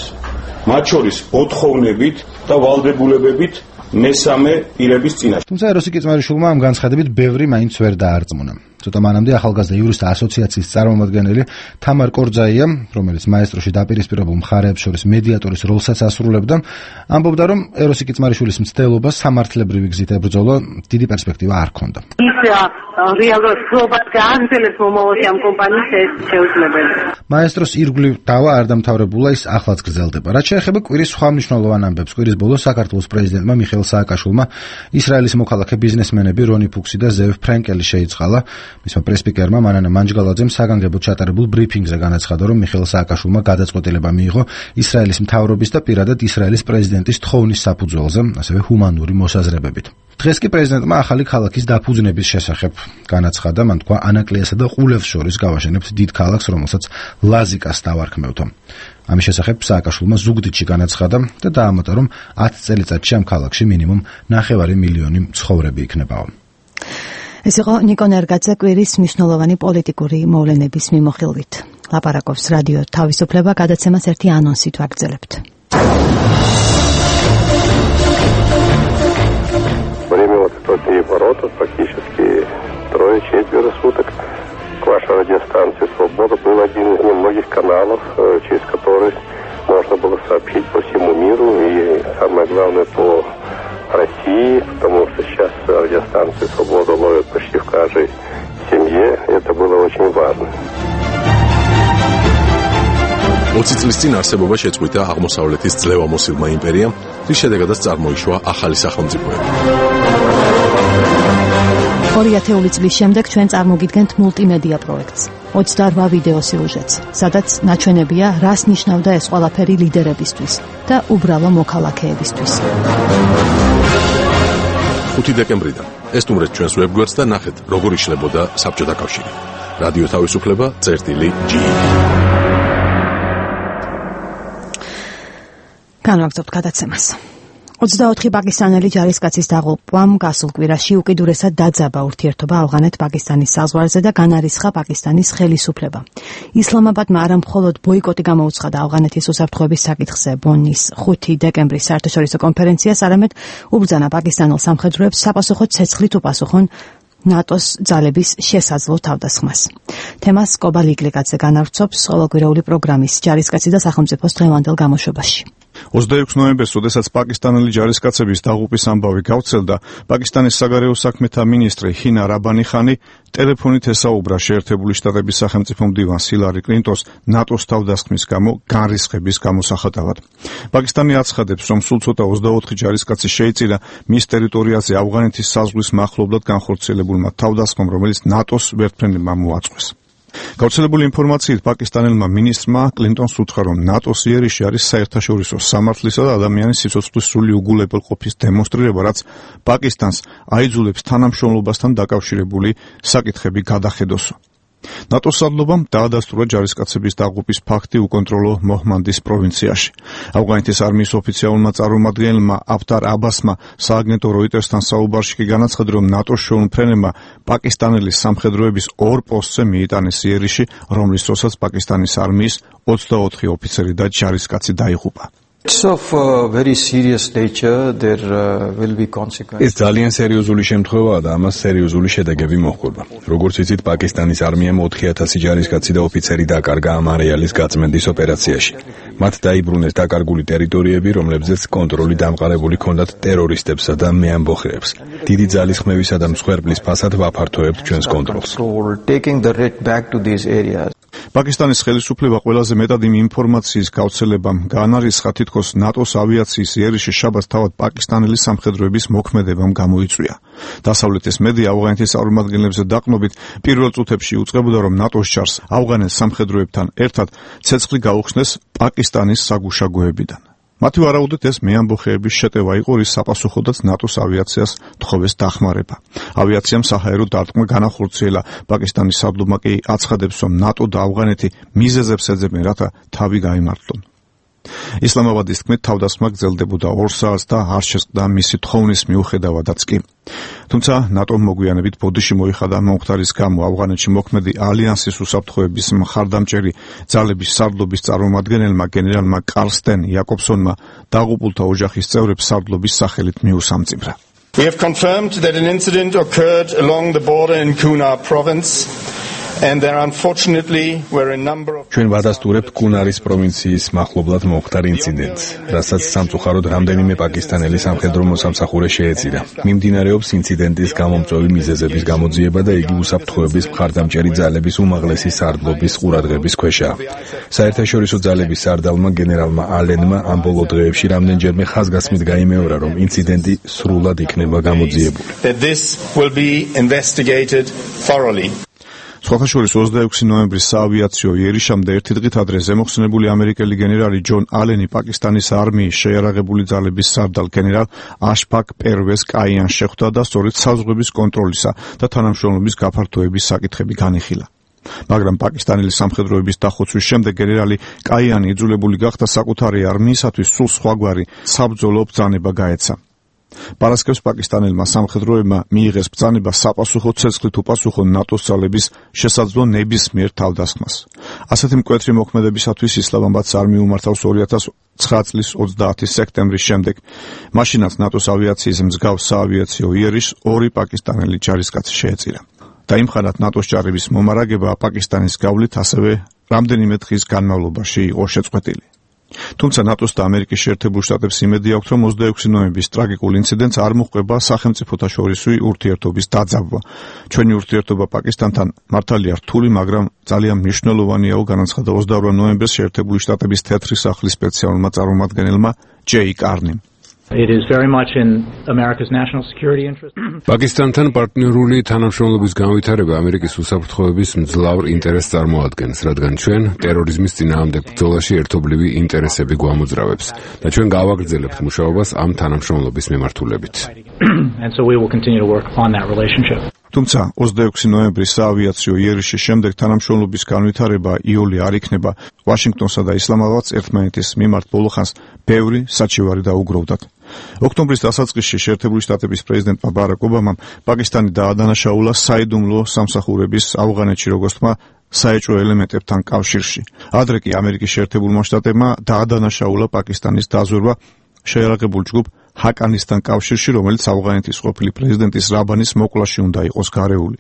მათ შორის მოთხოვნებით და ვალდებულებებით მესამე პირების წინაშე. თუმცა ეროსი კიწმარიშვილმა ამ განცხადებით ბევრი მაინც ვერ დაარწმუნა. ცოტა მანამდე ახალგაზრდა იურისტთა ასოციაციის წარმომადგენელი თამარ კორძაია, რომელიც მაესტროში დაპირისპირებულ მხარეებს შორის მედიატორის როლსაც ასრულებდა, ამბობდა, რომ ეროსი კიწმარიშვილის მცდელობა სამართლებრივი გზით ებრძოლა დიდი პერსპექტივა არ ჰქონდა. ის რეალურად გლობალ გააგრძელებს მომავალში ამ კომპანიის შეუძლებელს. მაესტროს ირგვლივ დავა არ დამთავრებულა, ის ახლაც გრძელდება. რაც შეეხება კვირის სხვა მნიშვნელოვან ამბებს, კვირის ბოლოს საქართველოს პრეზიდენტმა მიხეილ სააკაშვილმა ისრაელის მოქალაქე ბიზნესმენები რონი ფუქსი და ზევ ფრენკელი შეიწყალა. მისმა პრესპიკერმა მანანა მანჯგალაძემ საგანგებოდ ჩატარებულ ბრიფინგზე განაცხადა, რომ მიხეილ სააკაშვილმა გადაწყვეტილება მიიღო ისრაელის მთავრობის და პირადად ისრაელის პრეზიდენტის თხოვნის საფუძველზე, ასევე ჰუმანური მოსაზრებებით. დღეს კი პრეზიდენტმა ახალი ქალაქის დაფუძნების შესახებ განაცხადა, მან თქვა, ანაკლიასა და ყულევს შორის გავაშენებთ დიდ ქალაქს, რომელსაც ლაზიკას დავარქმევთო. ამის შესახებ სააკაშვილმა ზუგდიდში განაცხადა და დაამატა, რომ ათი წელიწადში ამ ქალაქში მინიმუმ ნახევარი მილიონი მცხოვრები იქნებაო. ეს იყო ნიკო ნერგაძე კვირის მნიშვნელოვანი პოლიტიკური მოვლენების მიმოხილვით. ლაპარაკობს რადიო თავისუფლება, გადაცემას ერთი ანონსით ვაგრძელებთ. Время вот эти переворота практически трое-четверо суток к вашей радиостанции «Свобода» был один из немногих каналов, через который можно было сообщить по всему миру и, самое главное, по России, потому что сейчас радиостанции «Свобода» ловят почти в каждой семье. Это было очень важно. ოცი წლის წინ არსებობა შეწყვიტა აღმოსავლეთის ძლევამოსილმა იმპერიამ, რის შედეგადაც წარმოიშვა ახალი სახელმწიფოები. ორი ათეული წლის შემდეგ ჩვენ წარმოგიდგენთ მულტიმედია პროექტს, ოცდაორ ვიდეო სიუჟეტს, სადაც ნაჩვენებია, რას ნიშნავდა ეს ყველაფერი ლიდერებისთვის და უბრალო მოქალაქეებისთვის. ხუთი დეკემბრიდან ესტუმრეთ ჩვენს ვებგვერდს და ნახეთ, როგორ იშლებოდა საბჭოთა კავშირი. რადიო თავისუფლება, წერტილი ჯი. განვაგრძობთ გადაცემას. ოცდაოთხი პაკისტანელი ჯარისკაცის დაღუპვამ გასულ კვირაში უკიდურესად დაძაბა ურთიერთობა ავღანეთ-პაკისტანის საზღვარზე და განარისხა პაკისტანის ხელისუფლება. ისლამაბადმა არა მხოლოდ ბოიკოტი გამოუცხადა ავღანეთის უსაფრთხოების საკითხზე ბონის ხუთი დეკემბრის საერთაშორისო კონფერენციას, არამედ უბრძანა პაკისტანელ სამხედროებს საპასუხო ცეცხლით უპასუხონ ნატოს ძალების შესაძლო თავდასხმას. თემას კობა ლიკლიკაძე განავრცობს ყოველკვირეული პროგრამის ჯარისკაცი და სახელმწიფოს დღევანდელ გამოშვებაში. ოცდაექვსი ნოემბერს, როდესაც პაკისტანელი ჯარისკაცების დაღუპვის ამბავი გავრცელდა, პაკისტანის საგარეო საქმეთა მინისტრი ჰინა რაბანი ხანი ტელეფონით ესაუბრა შეერთებული შტატების სახელმწიფო მდივანს ჰილარი კლინტონს ნატოს თავდასხმის გამო განრისხების გამოსახატავად. პაკისტანი აცხადებს, რომ სულ ცოტა ოცდაოთხი ჯარისკაცი შეიწირა მის ტერიტორიაზე ავღანეთის საზღვრის მახლობლად განხორციელებულმა თავდასხმამ, რომელიც ნატოს ვერტმფრენებმა მოაწყვეს. გავრცელებული ინფორმაციით პაკისტანელმა მინისტრმა კლინტონს უთხრა, რომ ნატოს იერიში არის საერთაშორისო სამართლისა და ადამიანის სიცოცხლის სრული უგულებელყოფის დემონსტრირება, რაც პაკისტანს აიძულებს თანამშრომლობასთან დაკავშირებული საკითხები გადახედოსო. ნატოს სარდლობამ დაადასტურა ჯარისკაცების დაღუპვის ფაქტი უკონტროლო მოჰმანდის პროვინციაში. ავღანეთის არმიის ოფიციალურმა წარმომადგენელმა აფთარ აბასმა სააგენტო როიტერსთან საუბარში კი განაცხადა, რომ ნატოს შეუმფრენებმა პაკისტანელი სამხედროების ორ პოსტზე მიიტანეს იერიში, რომლის დროსაც პაკისტანის არმიის ოცდაოთხი ოფიცერი და ჯარისკაცი დაიღუპა. It's of uh, very serious nature. There uh, will be consequences. ეს ძალიან სერიოზული შემთხვევაა და ამას სერიოზული შედეგები მოჰყვა. როგორც იცით, პაკისტანის არმიამ ოთხი ათასი ჯარისკაცი და ოფიცერი დაკარგა ამ არეალის გაწმენდის ოპერაციაში. მათ დაიბრუნეს დაკარგული ტერიტორიები, რომლებზეც კონტროლი დამყარებული ჰქონდათ ტერორისტებსა და მეამბოხეებს. დიდი ძალისხმევისა და მსხვერპლის ფასად ვაფართოებთ ჩვენს კონტროლს. Taking the red back to these areas. პაკისტანის ხელისუფლება ყველაზე მეტად იმ ინფორმაციის გავრცელებამ გაანარისხა, თითქოს ნატოს ავიაციის იერიში შაბათს თავად პაკისტანელი სამხედროების მოქმედებამ გამოიწვია. დასავლეთის მედია ავღანეთის წარმომადგენლებზე დაყნობით პირველ წუთებში უწყებოდა, რომ ნატოს ჯარს ავღანელ სამხედროებთან ერთად ცეცხლი გაუხსნეს პაკისტანის საგუშაგოებიდან. მათი ვარაუდით ეს მეამბოხეების შეტევა იყო, რის საპასუხოდაც ნატოს ავიაციას თხოვეს დახმარება. ავიაციამ საჰაერო დარტყმა განახორციელა. პაკისტანის სარდლობმა კი აცხადებს, რომ ნატო და ავღანეთი მიზეზებს ეძებენ, რათა თავი გაიმართლონ. ისლამაბადის თქმით, თავდასხმა გრძელდებოდა ორ საათს და არ შესყდა მისი თხოვნის მიუხედავადაც კი. თუმცა ნატომ მოგვიანებით ბოდიში მოიხადა მომხდარის გამო ავღანეთში მოქმედი ალიანსის უსაფრთხოების მხარდამჭერი ძალების სარდლობის წარმომადგენელმა გენერალმა კარლსტენ იაკობსონმა დაღუპულთა ოჯახის წევრებს სარდლობის სახელით მიუსამძიმრა. We have confirmed that an incident occurred along the border in Kunar province. And there unfortunately were a number of ჩვენ ვადასტურებთ კუნარის პროვინციის მახლობლად მომხდარ ინციდენტს, რასაც სამწუხაროდ რამდენიმე პაკისტანელი სამხედრო მოსამსახურე შეეწირა. მიმდინარეობს ინციდენტის გამომწვევი მიზეზების გამოძიება და იგი უსაფრთხოების მხარდამჭერი ძალების უმაღლესი სარდლობის ყურადღების ქვეშაა. საერთაშორისო ძალების სარდალმა გენერალმა ალენმა ამ ბოლო დღეებში რამდენჯერმე ხაზგასმით გაიმეორა, რომ ინციდენტი სრულად იქნება გამოძიებული. That this will be investigated thoroughly. სხვათა შორის ოცდაექვსი ნოემბრის საავიაციო იერიშამდე ერთი დღით ადრე ზემოხსნებული ამერიკელი გენერალი ჯონ ალენი პაკისტანის არმიის შეიარაღებული ძალების სარდალ გენერალ აშფაკ პერვეს კაიანს შეხვდა და სწორედ საზღვრების კონტროლისა და თანამშრომლობის გაფართოების საკითხები განიხილა. მაგრამ პაკისტანელი სამხედროების დახოცვის შემდეგ გენერალი კაიანი იძულებული გახდა საკუთარი არმიისათვის სულ სხვაგვარი საბრძოლო ბრძანება გაეცა. პარასკევს პაკისტანელმა სამხედროებმა მიიღეს ბრძანება საპასუხო ცეცხლით უპასუხო ნატოს ძალების შესაძლო ნებისმიერ თავდასხმას. ასეთი მკვეთრი მოქმედებისათვის ისლამაბადს არმია უმართავს ორი ათას ცხრა წლის ოცდაათი სექტემბრის შემდეგ. მაშინაც ნატოს ავიაციის მსგავს საავიაციო იერიშს ორი პაკისტანელი ჯარისკაცი შეეწირა. დაიმხანათ ნატოს ჯარების მომარაგება პაკისტანის გავლით ასევე რამდენიმე დღის განმავლობაში იყო შეწყვეტილი. თუმცა ნატოს და ამერიკის შეერთებულ შტატებს იმედი აქვთ, რომ ოცდაექვსი ნოემბრის ტრაგიკულ ინციდენტს არ მოჰყვება სახელმწიფოთა შორისი ურთიერთობის დაძაბვა. ჩვენი ურთიერთობა პაკისტანთან მართალია რთული, მაგრამ ძალიან მნიშვნელოვანიაო, განაცხადა ოცდაორ ნოემბერს შეერთებული შტატების თეთრი სახლის სპეციალურმა წარმომადგენელმა ჯეი კარნიმ. It is very much in America's national security interest. პაკისტანთან პარტნიორული თანამშრომლობის განვითარება ამერიკის უსაფრთხოების მძლავრ ინტერესს წარმოადგენს, რადგან ჩვენ ტერორიზმის წინააღმდეგ ბრძოლაში ერთობლივი ინტერესები გვამოძრავებს და ჩვენ გავაგრძელებთ მუშაობას ამ თანამშრომლობის მიმართულებით. And so we will continue to work on that relationship. თუმცა ოცდაექვსი ნოემბრის საავიაციო იერიშის შემდეგ თანამშრომლობის განვითარება იოლი არ იქნება. ვაშინგტონსა და ისლამაბადს ერთმანეთის მიმართ ბოლოხანს ბევრი საჩივარი დაუგროვდათ. ოქტომბრის დასაწყისში შეერთებული შტატების პრეზიდენტმა ბარაკ ობამამ პაკისტანი დაადანაშაულა საიდუმლო სამსახურების ავღანეთში, როგორც თქმა, საეჭვო ელემენტებთან კავშირში. ადრე კი ამერიკის შეერთებულმა შტატებმა დაადანაშაულა პაკისტანის დაზვერვა შეიარაღებულ ჯგუფ ჰაკანისთან კავშირში, რომელიც ავღანეთის ყოფილი პრეზიდენტის რაბანის მოკვლაში უნდა იყოს გარეული.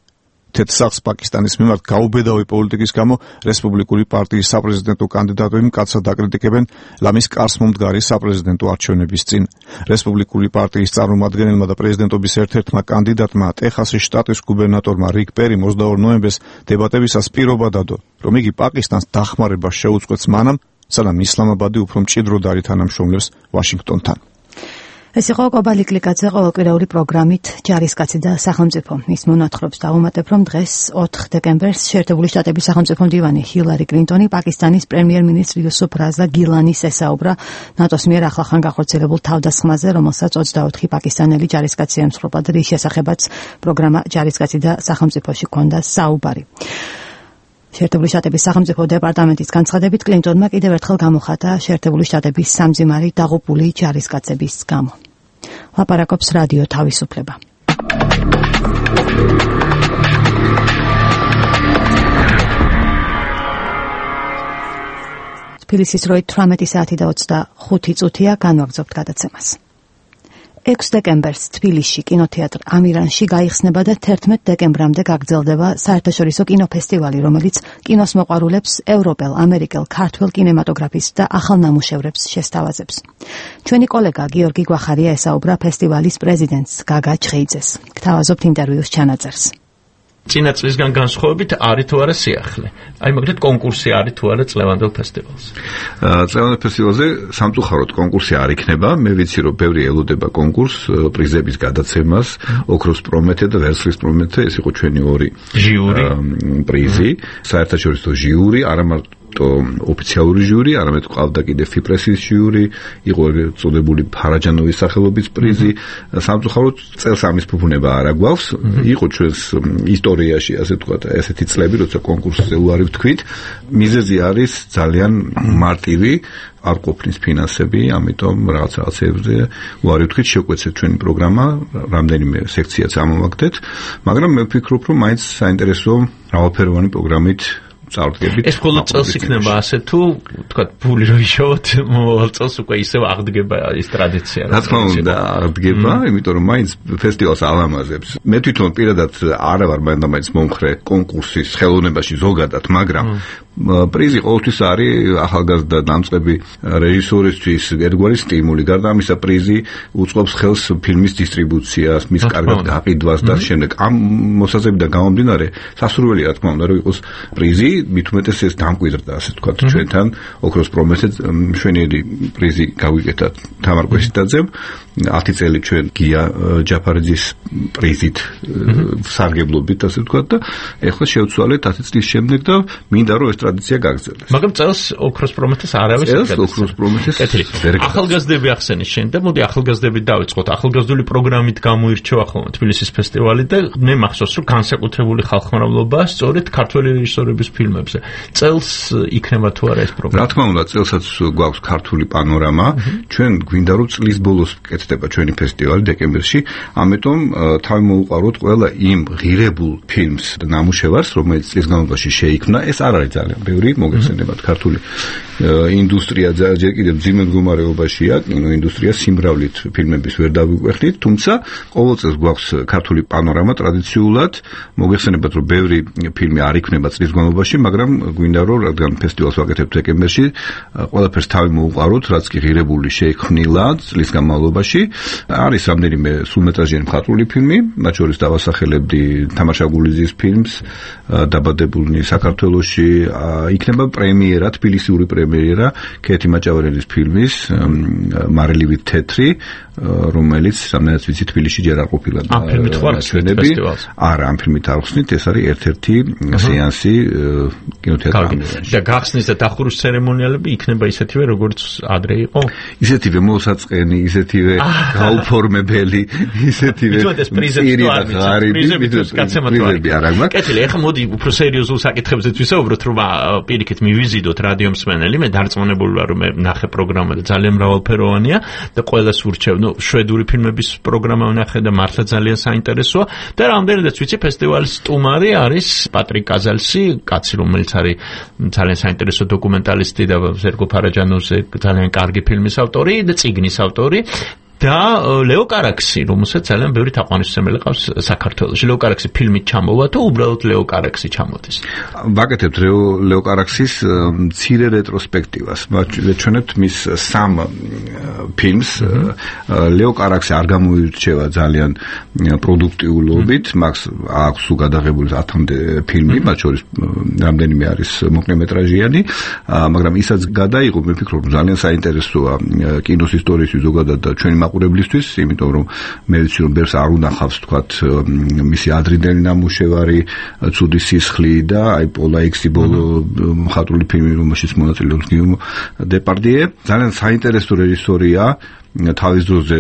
თეთრ სახლს პაკისტანის მიმართ გაუბედავი პოლიტიკის გამო რესპუბლიკური პარტიის საპრეზიდენტო კანდიდატები მკაცრად აკრიტიკებენ ლამის კარს მომდგარი საპრეზიდენტო არჩევნების წინ. რესპუბლიკური პარტიის წარმომადგენელმა და პრეზიდენტობის ერთ-ერთმა კანდიდატმა ტეხასის შტატის გუბერნატორმა რიკ პერიმ ოცდაორ ნოემბერს დებატებისას პირობა დადო, რომ იგი პაკისტანს დახმარებას შეუწყვეტს მანამ, სანამ ისლამაბადი უფრო მჭიდროდ არ ითანამშრომლებს ვაშინგტონთან. ეს იყო კობალი კლიკაძე ყოველკვირეული პროგრამით ჯარისკაცი და სახელმწიფო. ის მონათხრობს დავუმატებ, რომ დღეს ოთხ დეკემბერს შეერთებული შტატების სახელმწიფო მდივანი ჰილარი კლინტონი პაკისტანის პრემიერ-მინისტრ იუსუფ რაზა გილანის ესაუბრა ნატოს მიერ ახლახან გახორციელებულ თავდასხმაზე, რომელსაც ოცდაოთხი პაკისტანელი ჯარისკაცი ემსხვერპლა და რის შესახებაც პროგრამა ჯარისკაცი და სახელმწიფოში ჰქონდა საუბარი. შეერთებული შტატების სახელმწიფო დეპარტამენტის განცხადებით კლინტონმა კიდევ ერთხელ გამოხატა შეერთებული შტატების სამძიმარი დაღუპული ჯარისკაცების გამო. ლაპარაკობს რადიო თავისუფლება. თბილისის დროით თვრამეტი საათი და ოცდახუთი წუთია, განვაგრძობთ გადაცემას. ექვსი დეკემბერს თბილისში კინოთეატრ ამირანში გაიხსნება და თერთმეტ დეკემბრამდე გაგრძელდება საერთაშორისო კინოფესტივალი, რომელიც კინოს მოყვარულებს ევროპელ, ამერიკელ, ქართველ კინემატოგრაფის და ახალ ნამუშევრებს შესთავაზებს. ჩვენი კოლეგა გიორგი გვახარია ესაუბრა ფესტივალის პრეზიდენტს გაგა ჩხეიძეს. გთავაზობთ ინტერვიუს ჩანაწერს. წინა წლისგან განსხვავებით არის თუ არა სიახლე. აი მაგალითად კონკურსი არის თუ არა წლევანდელ ფესტივალზე. წლევანდელ ფესტივალზე სამწუხაროდ კონკურსი არ იქნება. მე ვიცი რომ ბევრი ელოდება კონკურს, პრიზების გადაცემას, ოქროს პრომეთე და ვერცხლის პრომეთე, ეს იყო ჩვენი ორი ჟიური პრიზი, საერთაშორისო ჟიური, არა მარტო ოფიციალური ჟიური, არამედ ყავდა კიდე ფიპრესის ჟიური, იყო წოდებული ფარაჯანოვის სახელობის პრიზი. სამწუხაროდ წელს ამის ფუფუნება არ აგვაქვს. იყო ჩვენს ისტორიაში, ასე ვთქვათ, ესეთი წლები, როცა კონკურსზე უარი ვთქვით. მიზეზი არის ძალიან მარტივი, არ ყოფნის ფინანსები, ამიტომ რაღაც რაღაცებზე უარი ვთქვით, შევკვეცეთ ჩვენი პროგრამა, რამდენიმე სექციაც ამოვაგდეთ, მაგრამ მე ვფიქრობ, რომ მაინც საინტერესო მრავალფეროვანი პროგრამით წარდგებით. ეს მხოლოდ წელს იქნება ასე თუ თქვა ბული რო იშოვოთ, მომავალ წელს უკვე ისევ აღდგება ის ტრადიცია. რა თქმა უნდა, აღდგება, იმიტომ რომ მაინც ფესტივალს ალამაზებს. მე თვითონ პირადად არა ვარ მაინც მომხრე კონკურსის ხელოვნებაში ზოგადად, მაგრამ პრიზი ყოველთვის არის ახალგაზრდა დამწყები რეჟისორისთვის ერთგვარი სტიმული. გარდა ამისა, პრიზი უწყობს ხელს ფილმის დისტრიბუციას, მის კარგად გაყიდვას და შემდეგ ამ მოსაზრებიდან გამომდინარე, სასურველი რა თქმა უნდა, რომ იყოს პრიზი, მით უმეტეს ეს დამკვიდრდა, ასე ვთქვათ, ჩვენთან ოქროს პრომეთე მშვენიერი პრიზი გავიკეთა თამარ კვესიტაძემ. ათი წელი ჩვენ გია ჯაფარიძის პრიზით სარგებლობით, ასე ვთქვათ და ეხლა შევცვალეთ ათი წლის შემდეგ და მინდა რომ ეს ტრადიცია გაგრძელდეს. მაგრამ წელს ოქროს პრომეთეს არავის წელს ოქროს პრომეთეს ახალგაზრდები ახსენის შენ და მოდი ახალგაზრდებით დავიწყოთ. ახალგაზრდული პროგრამით გამოირჩევა ხოლმე თბილისის ფესტივალი და მე მახსოვს რომ განსაკუთრებული ხალხმრავლობა სწორედ ქართველი რეჟისორების ფილმებზე. წელს იქნება თუ არა ეს პროგრამა? რა თქმა უნდა, წელსაც გვაქვს ქართული პანორამა. ჩვენ გვინდა რომ წლის ბოლოს კეთდება ჩვენი ფესტივალი დეკემბერში, ამიტომ თავი მოუყაროთ ყველა იმ ღირებულ ფილმს და ნამუშევარს, რომელიც წლის განმავლობაში შეიქმნა. ეს არ არის ძალიან ბევრი, მოგეხსენებათ, ქართული ინდუსტრია ჯერ კიდევ მძიმე მდგომარეობაშია, კინოინდუსტრია სიმრავლით ფილმების ვერ დავიკვეხნით, თუმცა ყოველ წელს გვაქვს ქართული პანორამა ტრადიციულად, მოგეხსენებათ, რომ ბევრი ფილმი არ იქნება წლის განმავლობაში, მაგრამ გვინდა რომ რადგან ფესტივალს ვაკეთებთ დეკემბერში, ყველაფერს თავი მოუყაროთ, რაც კი ღირებული შეიქმნილა წლის განმავლობაში. არის რამდენიმე სრულმეტრაჟიანი მხატვრული ფილმი, მათ შორის დავასახელებდი თამარ შაგულიძის ფილმს დაბადებულნი საქართველოში, იქნება პრემიერა, თბილისიური პრემიერა ქეთი მაჭავერელის ფილმის მარილივით თეთრი, რომელიც რამდენად ვიცი თბილისში ჯერ არ ყოფილა. ამ ფილმით ხარ ფესტივალს? არა, ამ ფილმით არ ხსნით, ეს არის ერთ-ერთი სეანსი კინოთეატრ ამირანში. და გახსნის და დახურვის ცერემონიალები იქნება ისეთივე, როგორც ადრე იყო? ისეთივე მოსაწყენი, ისეთივე გაუფორმებელი, ისეთივე პრიზები არ აქვს. კეთილი, ეხლა მოდი უფრო სერიოზულ საკითხებზეც ვისაუბროთ, რომ პირიქით მივიზიდოთ რადიო მსმენელი, მე დარწმუნებული ვარ, რომ მე ნახე პროგრამა და ძალიან მრავალფეროვანია და ყველას ვურჩევ, ნუ შვედური ფილმების პროგრამა ვნახე და მართლა ძალიან საინტერესოა და რამდენადაც ვიცი ფესტივალის სტუმარი არის პატრიკ კაზალსი, კაცი, რომელიც არის ძალიან საინტერესო დოკუმენტალისტი და სერგო ფარაჯანოვზე ძალიან კარგი ფილმის ავტორი და წიგნის ავტორი. და ლეო კარაქსი, რომელსაც ძალიან ბევრი თაყვანისმცემელი ყავს საქართველოში. ლეო კარაქსი ფილმით ჩამოვა თუ უბრალოდ ლეო კარაქსი ჩამოდის? ვაკეთებთ ლეო კარაქსის მცირე რეტროსპექტივას. ვეჩვენებთ მის სამ ფილმს. ლეო კარაქსი არ გამოირჩევა ძალიან პროდუქტიულობით, მას აქვს უგადაღებული ათამდე ფილმი, მათ შორის რამდენიმე არის მოკლემეტრაჟიანი, მაგრამ ისაც გადაიღო, მე ვფიქრობ, ძალიან საინტერესოა კინოს ისტორიის ზოგადად და ჩვენი მაყურებლისთვის, იმიტომ რომ მე ვიცი რომ ბევრს არ უნახავს თქვათ მისი ადრინდელი ნამუშევარი, ცუდი სისხლი და აი პოლა ექსი ბოლო მხატვრული ფილმი, რომელშიც მონაწილეობს გიომო დეპარდიე. ძალიან საინტერესო რეჟისორია, თავის დროზე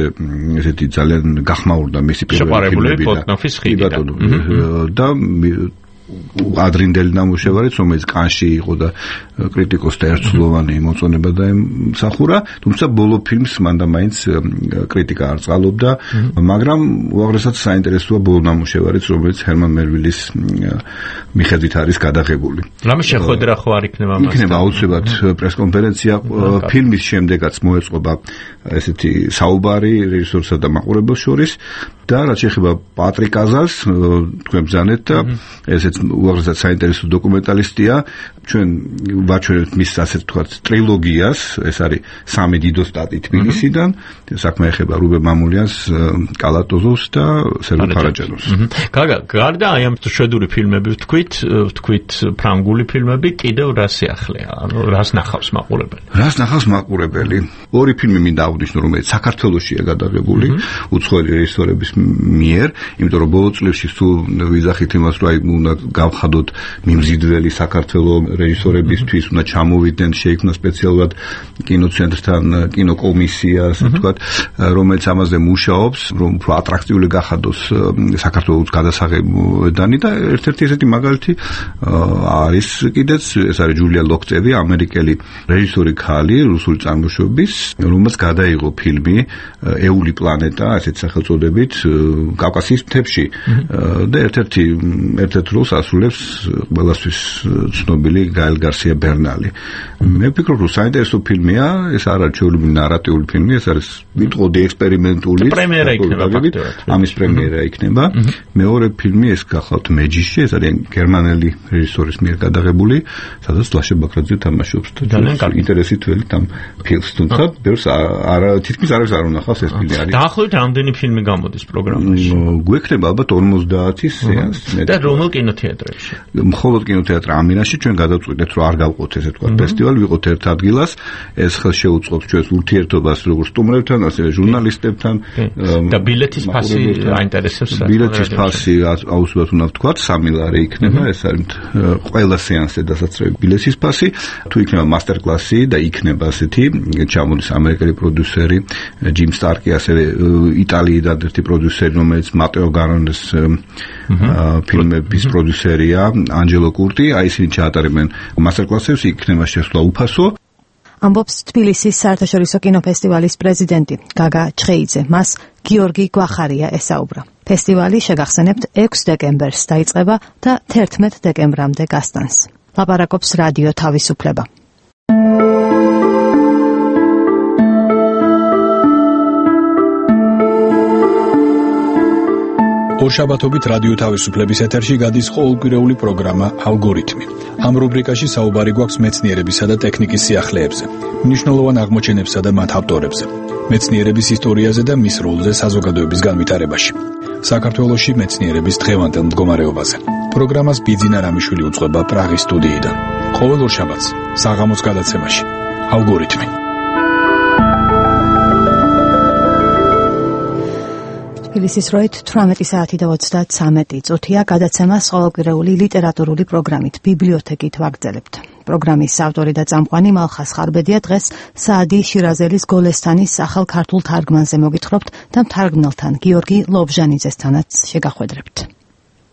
ესეთი ძალიან გახმაურდა მისი პირველი ფილმები და ადრინდელი ნამუშევარიც, რომელიც კანში იყო და კრიტიკოსთა ერთსულოვანი მოწონება დაემსახურა, თუმცა ბოლო ფილმს მანდა მაინც კრიტიკა არ წყალობდა, მაგრამ უაღრესად საინტერესოა ბოლო ნამუშევარიც, რომელიც ჰერმან მელვილის მიხედვით არის გადაღებული. რამე შეხვედრა ხო არ იქნება მას? იქნება აუცილებლად პრესკონფერენცია. ფილმის შემდეგაც მოეწყობა ესეთი საუბარი რეჟისორსა და მაყურებელს შორის და რაც შეეხება პატრიკ აზარს, თქვენ ბრძანეთ და ესეც უაღრესად საინტერესო დოკუმენტალისტია. ჩვენ ვაჩვენებთ მის ასე ვთქვათ ტრილოგიას, ეს არის სამი დიდო სტატი თბილისიდან, საქმე ეხება რუბენ მამულიანს, კალატოზოვს და სერგო ფარაჯანოვს. გაგა, გარდა აი ამ შვედური ფილმები ვთქვით, ვთქვით ფრანგული ფილმები, კიდევ რა სიახლეა? ანუ რას ნახავს მაყურებელი? რას ნახავს მაყურებელი? ორი ფილმი მინდა აღვნიშნო, რომელიც საქართველოშია გადაღებული, უცხოელი რეჟისორების მიერ, იმიტომ რომ ბოლო წლებში სულ ვიზახით იმას, რომ აი უნდა გავხადოთ მიმზიდველი საქართველოს რეჟისორებისთვის, უნდა ჩამოვიდნენ, შეიქმნა სპეციალურად კინოცენტრთან კინოკომისია, ასე ვთქვათ, რომელიც ამაზე მუშაობს, რომ უფრო ატრაქტიული გახადოს საქართველოს გადასაღებდანი და ერთ-ერთი ესეთი მაგალითი არის კიდეც, ეს არის ჯულია ლოქწევი, ამერიკელი რეჟისორი ქალი, რუსული წარმოშობის, რომელსაც გადაიღო ფილმი ეული პლანეტა, ასეთ სახელწოდებით, კავკასიის მთებში და ერთ-ერთი ერთ-ერთ როლს ასრულებს ყველასთვის ცნობილი გაელ გარსია ბერნალი. მე ვფიქრობ, რომ საინტერესო ფილმია, ეს არ არის ჩვეულებრივი ნარატიული ფილმი, ეს არის ვიტყოდი ექსპერიმენტული. პრემიერა იქნება ფაქტობრივად. ამის პრემიერა იქნება. მეორე ფილმი ეს გახლავთ მეჯიში, ეს არის გერმანელი რეჟისორის მიერ გადაღებული, სადაც ლაშა ბაქრაძე თამაშობს და ინტერესი თველი ამ ფილმს, თუმცა ბევრს არ თითქმის არავის არ უნახავს ეს ფილმი არის. დაახლოებით რამდენი ფილმი გამოდის პროგრამაში? გვექნება ალბათ ორმოცდაათი სეანსი. და რომელ კინოთეატრებში? მხოლოდ კინოთეატრ ამინაში ჩვენ გადავწყვიტეთ, რომ არ გავყოთ ესე თქვა ფესტივალი, ვიყოთ ერთ ადგილას, ეს ხელს შეუწყობს ჩვენს ურთიერთობას როგორც სტუმრებთან, ასევე ჟურნალისტებთან. და ბილეთის ფასი აინტერესებს? ბილეთის ფასი აუცილებლად უნდა ვთქვათ, სამი ლარი იქნება, ეს არის ყველა სეანსზე დასაცრები ბილეთის ფასი. თუ იქნება მასტერკლასი და იქნება ასეთი, ჩამოდის ამერიკელი პროდიუსერი ჯიმ სტარკი, ასევე იტალიიდან ერთი პროდიუსერი, რომელიც მატეო გარონეს ფილმების პროდიუსერია, ანჯელო კურტი, აი ისინი ჩაატარებენ მასტერკლასებს, იქნება შესვლა უფასო. ამბობს თბილისის საერთაშორისო კინოფესტივალის პრეზიდენტი გაგა ჩხეიძე. მას გიორგი გვახარია ესაუბრა. ფესტივალი შეგახსენებთ ექვსი დეკემბერს დაიწყება და თერთმეტ დეკემბრამდე გასტანს. ლაპარაკობს რადიო თავისუფლება. ორშაბათობით რადიო თავისუფლების ეთერში გადის ყოველკვირეული პროგრამა ალგორითმი. ამ რუბრიკაში საუბარი გვაქვს მეცნიერებისა და ტექნიკის სიახლეებზე, მნიშვნელოვან აღმოჩენებსა და მათ ავტორებზე, მეცნიერების ისტორიაზე და მის როლზე საზოგადოების განვითარებაში. საქართველოში მეცნიერების დღევანდელ მდგომარეობაზე. პროგრამას ბიძინა რამიშვილი უწყება პრაღის სტუდიიდან. ყოველ ორშაბათს საღამოს გადაცემაში ალგორითმი. თბილისის დროით თვრამეტი საათი და ოცდათსამეტი წუთია. გადაცემას ყოველკვირეული ლიტერატურული პროგრამით ბიბლიოთეკით ვაგრძელებთ. პროგრამის ავტორი და წამყვანი მალხას ხარბედია. დღეს საადი შირაზელის გოლესთანის ახალ ქართულ თარგმანზე მოგითხრობთ და მთარგმნელთან გიორგი ლობჟანიძესთანაც შეგახვედრებთ.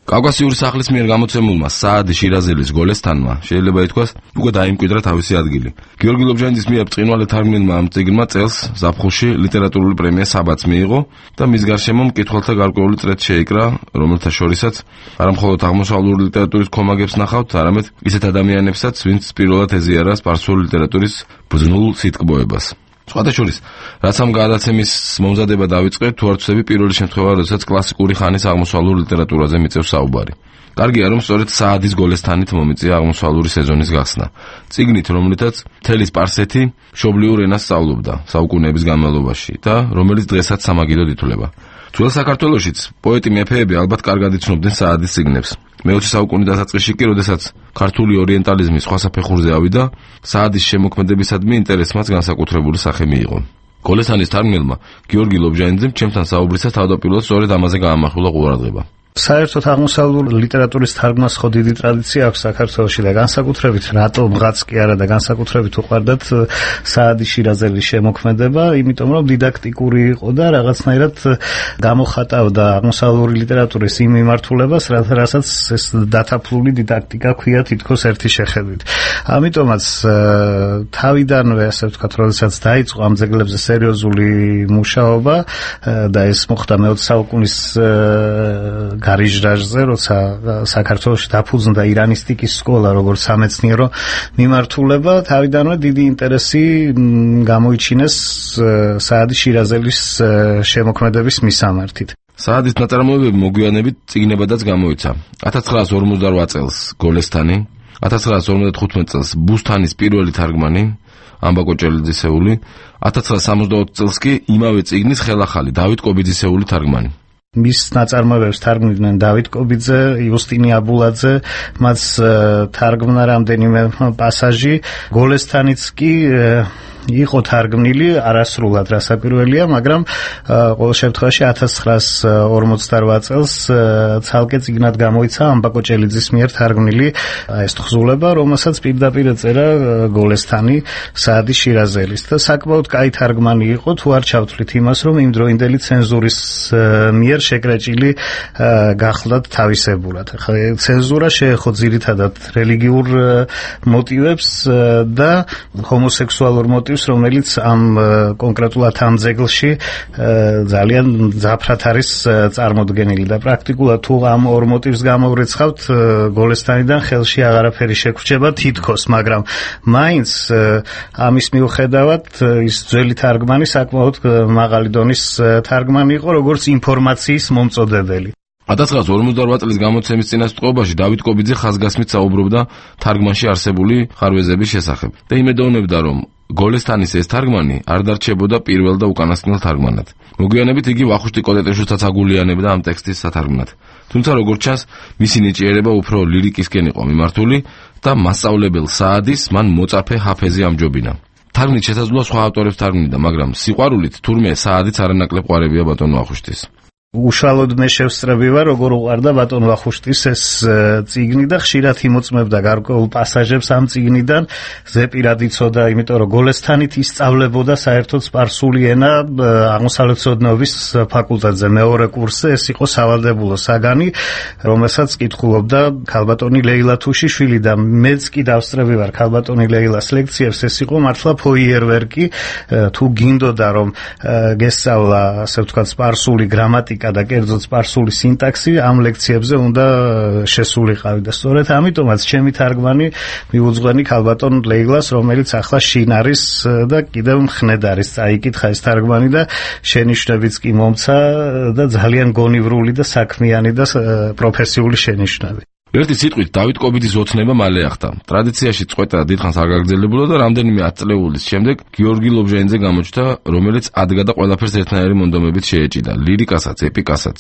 კავკასიური სახლის მიერ გამოცემულმა საადი შირაზელის გოლესთანმა შეიძლება ითქვას უკვე დაიმკვიდრა თავისი ადგილი. გიორგი ლობჟანიძის მიერ ბრწყინვალე თარგმნილმა ამ წიგნმა წელს ზაფხულში ლიტერატურული პრემია საბათს მიიღო და მის გარშემო მკითხველთა გარკვეული წრეც შეიკრა, რომელთა შორისაც არა მხოლოდ აღმოსავლური ლიტერატურის ქომაგებს ნახავთ, არამედ ისეთ ადამიანებსაც, ვინც პირველად ეზიარა სპარსული ლიტერატურის ბრძნულ სიტკბოებას. სხვათა შორის, რაც ამ გადაცემის მომზადება დაიწყეთ, თუ არ ვცდები პირველი შემთხვევა, როდესაც კლასიკური ხანის აღმოსავლურ ლიტერატურაზე მიწევს საუბარი. კარგია, რომ სწორედ საადის გოლესთანით მომიწია აღმოსავლური სეზონის გახსნა. წიგნით, რომლითაც მთელი სპარსეთი მშობლიურ ენას სწავლობდა საუკუნეების განმავლობაში და რომელიც დღესაც სამაგიდოდ ითვლება. ძველ საქართველოშიც პოეტი მეფეები ალბათ კარგად იცნობდნენ საადის წიგნებს. მეოცე საუკუნის დასაწყისში კი, როდესაც ქართული ორიენტალიზმი სხვა საფეხურზე ავიდა, საადის შემოქმედებისადმი ინტერესმაც განსაკუთრებული სახე მიიღო. გოლესთანის თარგმნელმა გიორგი ლობჟანიძემ ჩემთან საუბრისას თავდაპირველად სწორედ ამაზე გაამახვილა ყურადღება. საერთოდ აღმოსავლური ლიტერატურის თარგმნას ხო დიდი ტრადიცია აქვს საქართველოში და განსაკუთრებით რატომღაც კი არა და განსაკუთრებით უყვარდათ საადი შირაზელის შემოქმედება, იმიტომ რომ დიდაქტიკური იყო და რაღაცნაირად გამოხატავდა აღმოსავლური ლიტერატურის იმ მიმართულებას, რასაც ეს დათაფლული დიდაქტიკა ქვია თითქოს ერთი შეხედვით. ამიტომაც თავიდანვე ასე ვთქვათ, როდესაც დაიწყო ამ ძეგლებზე სერიოზული მუშაობა და ეს მოხდა მეოცე საუკუნის გარიჟრაჟზე, როცა საქართველოში დაფუძნდა ირანისტიკის სკოლა როგორც სამეცნიერო მიმართულება, თავიდანვე დიდი ინტერესი გამოიჩინეს საადი შირაზელის შემოქმედების მისამართით. საადის ნაწარმოებები მოგვიანებით წიგნებადაც გამოიცა. ათას ცხრაას ორმოცდაოთხ წელს გოლესთანი, ათას ცხრაას ორმოცდათხუთმეტ წელს ბუსთანის პირველი თარგმანი ამბა კოჭელიძისეული, ათას ცხრაას სამოცდაოთხ წელს კი იმავე წიგნის ხელახალი დავით კობიძისეული თარგმანი. მის ნაწარმოებებს თარგმნიდნენ დავით კობიძე, იუსტინე აბულაძე, მას თარგმნა რამდენიმე პასაჟი, გოლესთანიც კი იყო თარგმნილი არასრულად რასაკვირველია, მაგრამ ყოველ შემთხვევაში ათას ცხრაას ორმოცდაოთხ წელს ცალკე წიგნად გამოიცა ამბა კოჭელიძის მიერ თარგმნილი ეს თხზულება, რომელსაც პირდაპირ ეწერა გოლესთანი საადი შირაზელის და საკმაოდ კაი თარგმანი იყო, თუ არ ჩავთვლით იმას, რომ იმდროინდელი ცენზურის მიერ შეკრეჭილი გახლდათ თავისებურად. ცენზურა შეეხო ძირითადად რელიგიურ მოტივებს და ჰომოსექსუალურ მოტივებს, რომელიც ამ კონკრეტულად ამ ძეგლში ძალიან ძაფრად არის წარმოდგენილი და პრაქტიკულად თუ ამ ორ მოტივს გამოვრიცხავთ, გოლესთანიდან ხელში აღარაფერი შეგვრჩება თითქოს, მაგრამ მაინც ამის მიუხედავად ის ძველი თარგმანი საკმაოდ მაღალი დონის თარგმანი იყო, როგორც ინფორმაციის მომწოდებელი. ათას ცხრაას ორმოცდაოთხ წლის გამოცემის წინასწრობაში დავით კობიძე ხაზგასმით საუბრობდა თარგმანში არსებული ხარვეზების შესახებ და იმედოვნებდა, რომ გოლესთანის ეს თარგმანი არ დარჩებოდა პირველ და უკანასკნელ თარგმანად. მოგვიანებით იგი ვახუშტი კოტეტეშვილსაც აგულიანებდა ამ ტექსტის სათარგმნად. თუმცა როგორც ჩანს, მისი ნიჭიერება უფრო ლირიკისკენ იყო მიმართული და მასწავლებელ საადის მან მოწაფე ჰაფეზი ამჯობინა. თარგმნით შესაძლოა სხვა ავტორებს თარგმნიდა, მაგრამ სიყვარულით თურმე საადიც არანაკლებ ყვარებია ბატონ ვახუშტის. უშუალოდ მე შევსწრები ვარ, როგორ უყვარდა ბატონ ვახუშტის ეს წიგნი და ხშირად იმოწმებდა გარკვეულ პასაჟებს ამ წიგნიდან. ზეპირად იცოდა, იმიტომ რომ გოლესთანით ისწავლებოდა საერთოდ სპარსული ენა აღმოსავლეთმცოდნეობის ფაკულტეტზე მეორე კურსზე. ეს იყო სავალდებულო საგანი, რომელსაც კითხულობდა ქალბატონი ლეილა თუშიშვილი და მეც კი დავსწრები ვარ ქალბატონი ლეილას ლექციებს. ეს იყო მართლა ფოიერვერკი, თუ გინდოდა რომ გესწავლა, ასე ვთქვათ, სპარსული გრამატიკა და კერძოდ სპარსული სინტაქსი, ამ ლექციებზე უნდა შესულიყავი და სწორედ ამიტომაც ჩემი თარგმანი მიუძღვენი ქალბატონ ლეილას, რომელიც ახლა შინ არის და კიდევ მხნედ არის წაიკითხა ეს თარგმანი და შენიშვნებიც კი მომცა და ძალიან გონივრული და საქმიანი და პროფესიული შენიშვნები. ერთი სიტყვით დავით კობიძის ოცნება მალე ახდა. ტრადიციაში წყვეტა დიდხანს არ გაგრძელებულა და რამდენიმე ათწლეულის შემდეგ გიორგი ლობჟანიძე გამოჩნდა, რომელიც ადგა და ყველაფერს ერთნაირი მონდომებით შეეჭიდა, ლირიკასაც, ეპიკასაც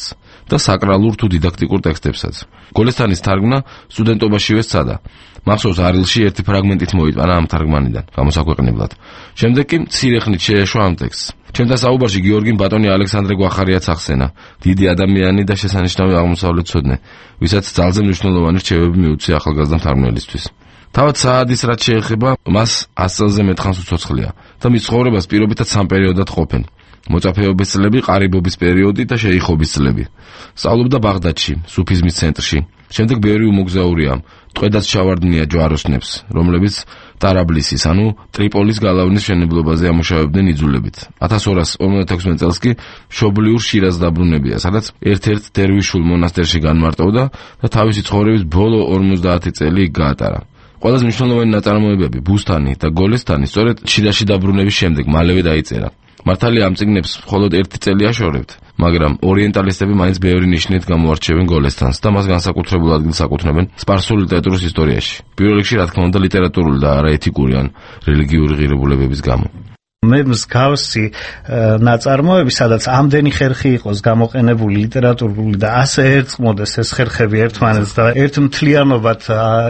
და საკრალურ თუ დიდაქტიკურ ტექსტებსაც. გოლესთანის თარგმნა სტუდენტობაშივე სცადა. მახსოვს არილში ერთი ფრაგმენტით მოიტანა ამ თარგმანიდან გამოსაქვეყნებლად. შემდეგ კი მცირე ხნით შეეშვა ამ ტექსტს. ჩემთან საუბარში გიორგიმ ბატონი ალექსანდრე გვახარიაც ახსენა, დიდი ადამიანი და შესანიშნავი აღმოსავლეთმცოდნე, ვისაც ძალზე მნიშვნელოვანი რჩევები მიუწია ახალგაზრდა მთარგმნელისთვის. თავად საადის რაც შეეხება, მას ას წელზე მეტხანს უცოცხლია და მის ცხოვრებას პირობითად სამ პერიოდად ყოფენ. მოწაფეობის წლები, ყარიბობის პერიოდი და შეიხობის წლები. სწავლობდა ბაღდადში, სუფიზმის ცენტრში. შემდეგ ბევრი უმოგზაურია, ტყვედაც ჩავარდნია ჯვაროსნებს, რომლებიც ტარაბლისის, ანუ ტრიპოლის გალავნის მშენებლობაზე ამუშავებდნენ იძულებით. ათას ორას ორმოცდათექვსმეტ წელს კი მშობლიურ შირაზს დაბრუნებია, სადაც ერთ-ერთ დერვიშულ მონასტერში განმარტოვდა და თავისი ცხოვრების ბოლო ორმოცდაათი წელი იქ გაატარა. ყველაზე მნიშვნელოვანი ნაწარმოებები, ბუსთანი და გოლესთანი, სწორედ შირაზში დაბრუნების შემდეგ მალევე დაიწერა. მართალია ამ წიგნებს მხოლოდ ერთი წელი აშორებთ, მაგრამ ორიენტალისტები მაინც ბევრი ნიშნით გამოარჩევენ გოლესთანს და მას განსაკუთრებულ ადგილს აკუთვნებენ სპარსული ლიტერატურის ისტორიაში. პირველ რიგში, რა თქმა უნდა, ლიტერატურული და არა ეთიკური ან რელიგიური ღირებულებების გამო. მე მსგავსი ნაწარმოები, სადაც ამდენი ხერხი იყოს გამოყენებული ლიტერატურული და ასე ერწყმოდეს ეს ხერხები ერთმანეთს და ერთ მთლიანობად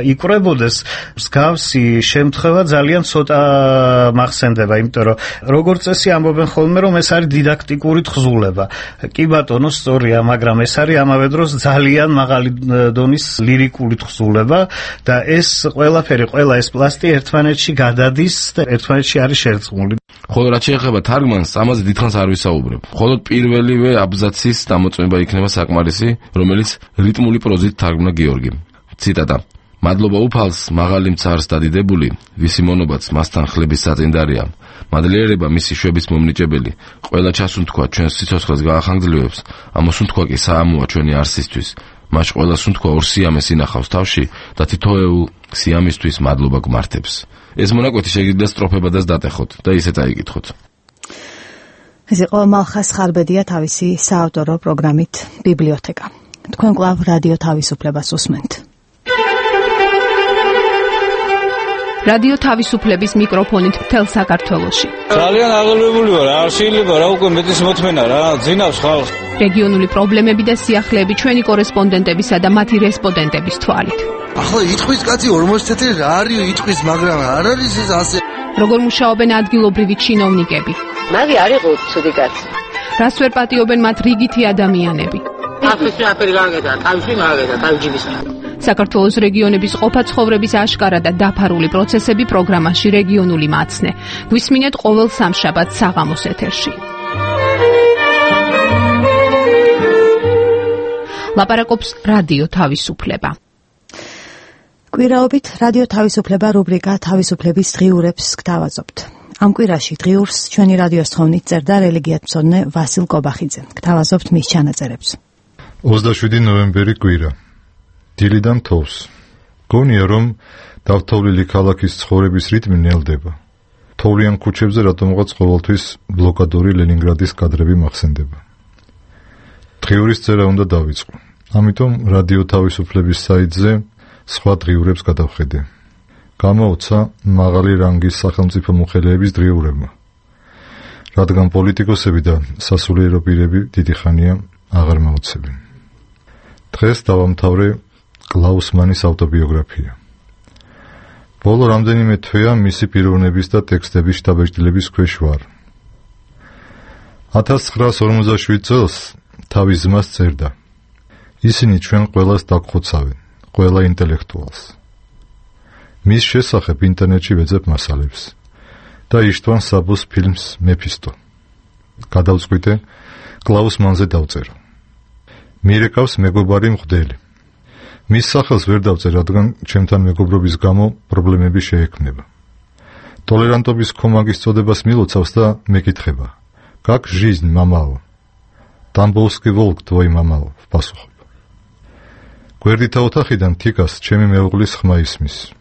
იკვრებოდეს, მსგავსი შემთხვევა ძალიან ცოტა მახსენდება, იმიტომ რომ როგორც წესი ამბობენ ხოლმე, რომ ეს არის დიდაქტიკური თხზულება. კი ბატონო, სწორია, მაგრამ ეს არის ამავე დროს ძალიან მაღალი დონის ლირიკული თხზულება და ეს ყველაფერი, ყველა ეს პლასტი ერთმანეთში გადადის და ერთმანეთში არის შერწყმული. ხოლო რაც შეეხება თარგმანს, ამაზე დიდხანს არ ვისაუბრებ. მხოლოდ პირველივე აბზაცის დამოწმება იქნება საკმარისი, რომელიც რიტმული პროზით თარგმნა გიორგიმ. ციტატა: მადლობა უფალს, მაღალი მცარს დადიდებული, ვისი მონობაც მასთან ხლების საწინდარია. მადლიერება მისი შვების მომნიჭებელი, ყველა ჩასუნთქვა ჩვენს სიცოცხლეს გაახანგრძლივებს, ამოსუნთქვა კი საამოა ჩვენი არსისთვის. მას ყველა სუნთქვა ორ სიამეს ინახავს თავში და თითოეულ სიამისთვის მადლობა გმართებს. ეს მონაკვეთი შეგიძლია სტროფებადაც დატეხოთ და ისე წაიკითხოთ. ეს იყო მალხას ხარბედია თავისი საავტორო პროგრამით ბიბლიოთეკა. თქვენ კვლავ რადიო თავისუფლებას უსმენთ. რადიო თავისუფლების მიკროფონით მთელ საქართველოში. ძალიან აღელვებული ვარ, არ შეიძლება რა უკვე მეტის მოთმენა რა, ძინავს ხალხს. რეგიონული პრობლემები და სიახლეები ჩვენი კორესპონდენტებისა და მათი რესპონდენტების თვალით. ახლა იტყვის კაცი ორმოცი წელი რა არის იტყვის, მაგრამ არ არის ეს ასე. როგორ მუშაობენ ადგილობრივი ჩინოვნიკები? მაგი არ იყო ცუდი კაცი. რას ვერ პატიობენ მათ რიგითი ადამიანები? ახლა აფერი გაგედა, თავში მაგედა, თავჯიბის. საქართველოს რეგიონების ყოფა-ცხოვრების აშკარა და დაფარული პროცესები პროგრამაში რეგიონული მაცნე. გვისმინეთ ყოველ სამშაბათს საღამოს ეთერში. ლაპარაკობს რადიო თავისუფლება. კვირაობით რადიო თავისუფლება რუბრიკა თავისუფლების დღიურებს გთავაზობთ. ამ კვირაში დღიურს ჩვენი რადიოს თხოვნით წერდა რელიგიათმცოდნე ვასილ კობახიძე. გთავაზობთ მის ჩანაწერებს. ოცდაშვიდი ნოემბერი კვირა. დილიდან თოვს. გონია რომ დავთოვლილი ქალაქის ცხოვრების რიტმი ნელდება. თოვლიან ქუჩებზე რატომღაც ყოველთვის ბლოკადორი ლენინგრადის კადრები მახსენდება. დღიურის წერა უნდა დავიწყო. ამიტომ რადიო თავისუფლების საიტზე სხვა დღიურებს გადავხედე. გამოუცა მაღალი რანგის სახელმწიფო მოხელეების დღიურებმა. რადგან პოლიტიკოსები და სასულიერო პირები დიდი ხანია აღარ მოუცებენ. დღეს დავამთავრე კლაუს მანის ავტობიოგრაფია. ბოლო რამდენიმე თვეა მისი პიროვნების და ტექსტების შთაბეჭდილების ქვეშ ვარ. ათას ცხრაას ორმოცდაშვიდ წელს თავის ძმას წერდა. ისინი ჩვენ ყველას დაგხოცავენ, ყველა ინტელექტუალს. მის შესახებ ინტერნეტში ვეძებ მასალებს და იშტვან საბოს ფილმს მეფისტო. გადავწყვიტე კლაუს მანზე დავწერო. მირეკავს მეგობარი მღვდელი. მის სახელს ვერ დავწერ, რადგან ჩემთან მეგობრობის გამო პრობლემები შეექმნება. ტოლერანტობის კომაგის წოდებას მილოცავს და მეკითხება: "Как жизнь, мамао?" "Тамбовский волк, твой мамао", ვპასუხობ. გვერდითა ოთახიდან თიკას ჩემი მეუღლის ხმა ისმის.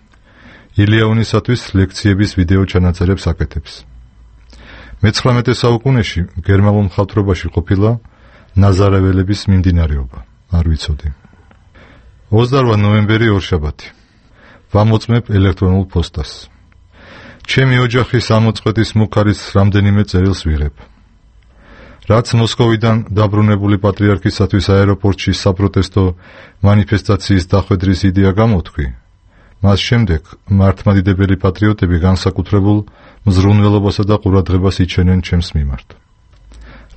ილიაონისათვის ლექციების ვიდეო ჩანაწერებს აკეთებს. მეცხრამეტე საუკუნეში გერმანულ მხატვრობაში ყოფილა ნაზარეველების მიმდინარეობა, არ ვიცოდი. ოცდაორ ნოემბერი ორშაბათი. ვამოწმებ ელექტრონულ პოსტას. ჩემი ოჯახის ამოწყვეტის მუქარის რამდენიმე წერილს ვიღებ. რაც მოსკოვიდან დაბრუნებული პატრიარქისათვის აეროპორტში საპროტესტო მანიფესტაციის დახვედრის იდეა გამოთქვი, მას შემდეგ მართლმადიდებელი პატრიოტები განსაკუთრებულ მზრუნველობასა და ყურადღებას იჩენენ ჩემს მიმართ.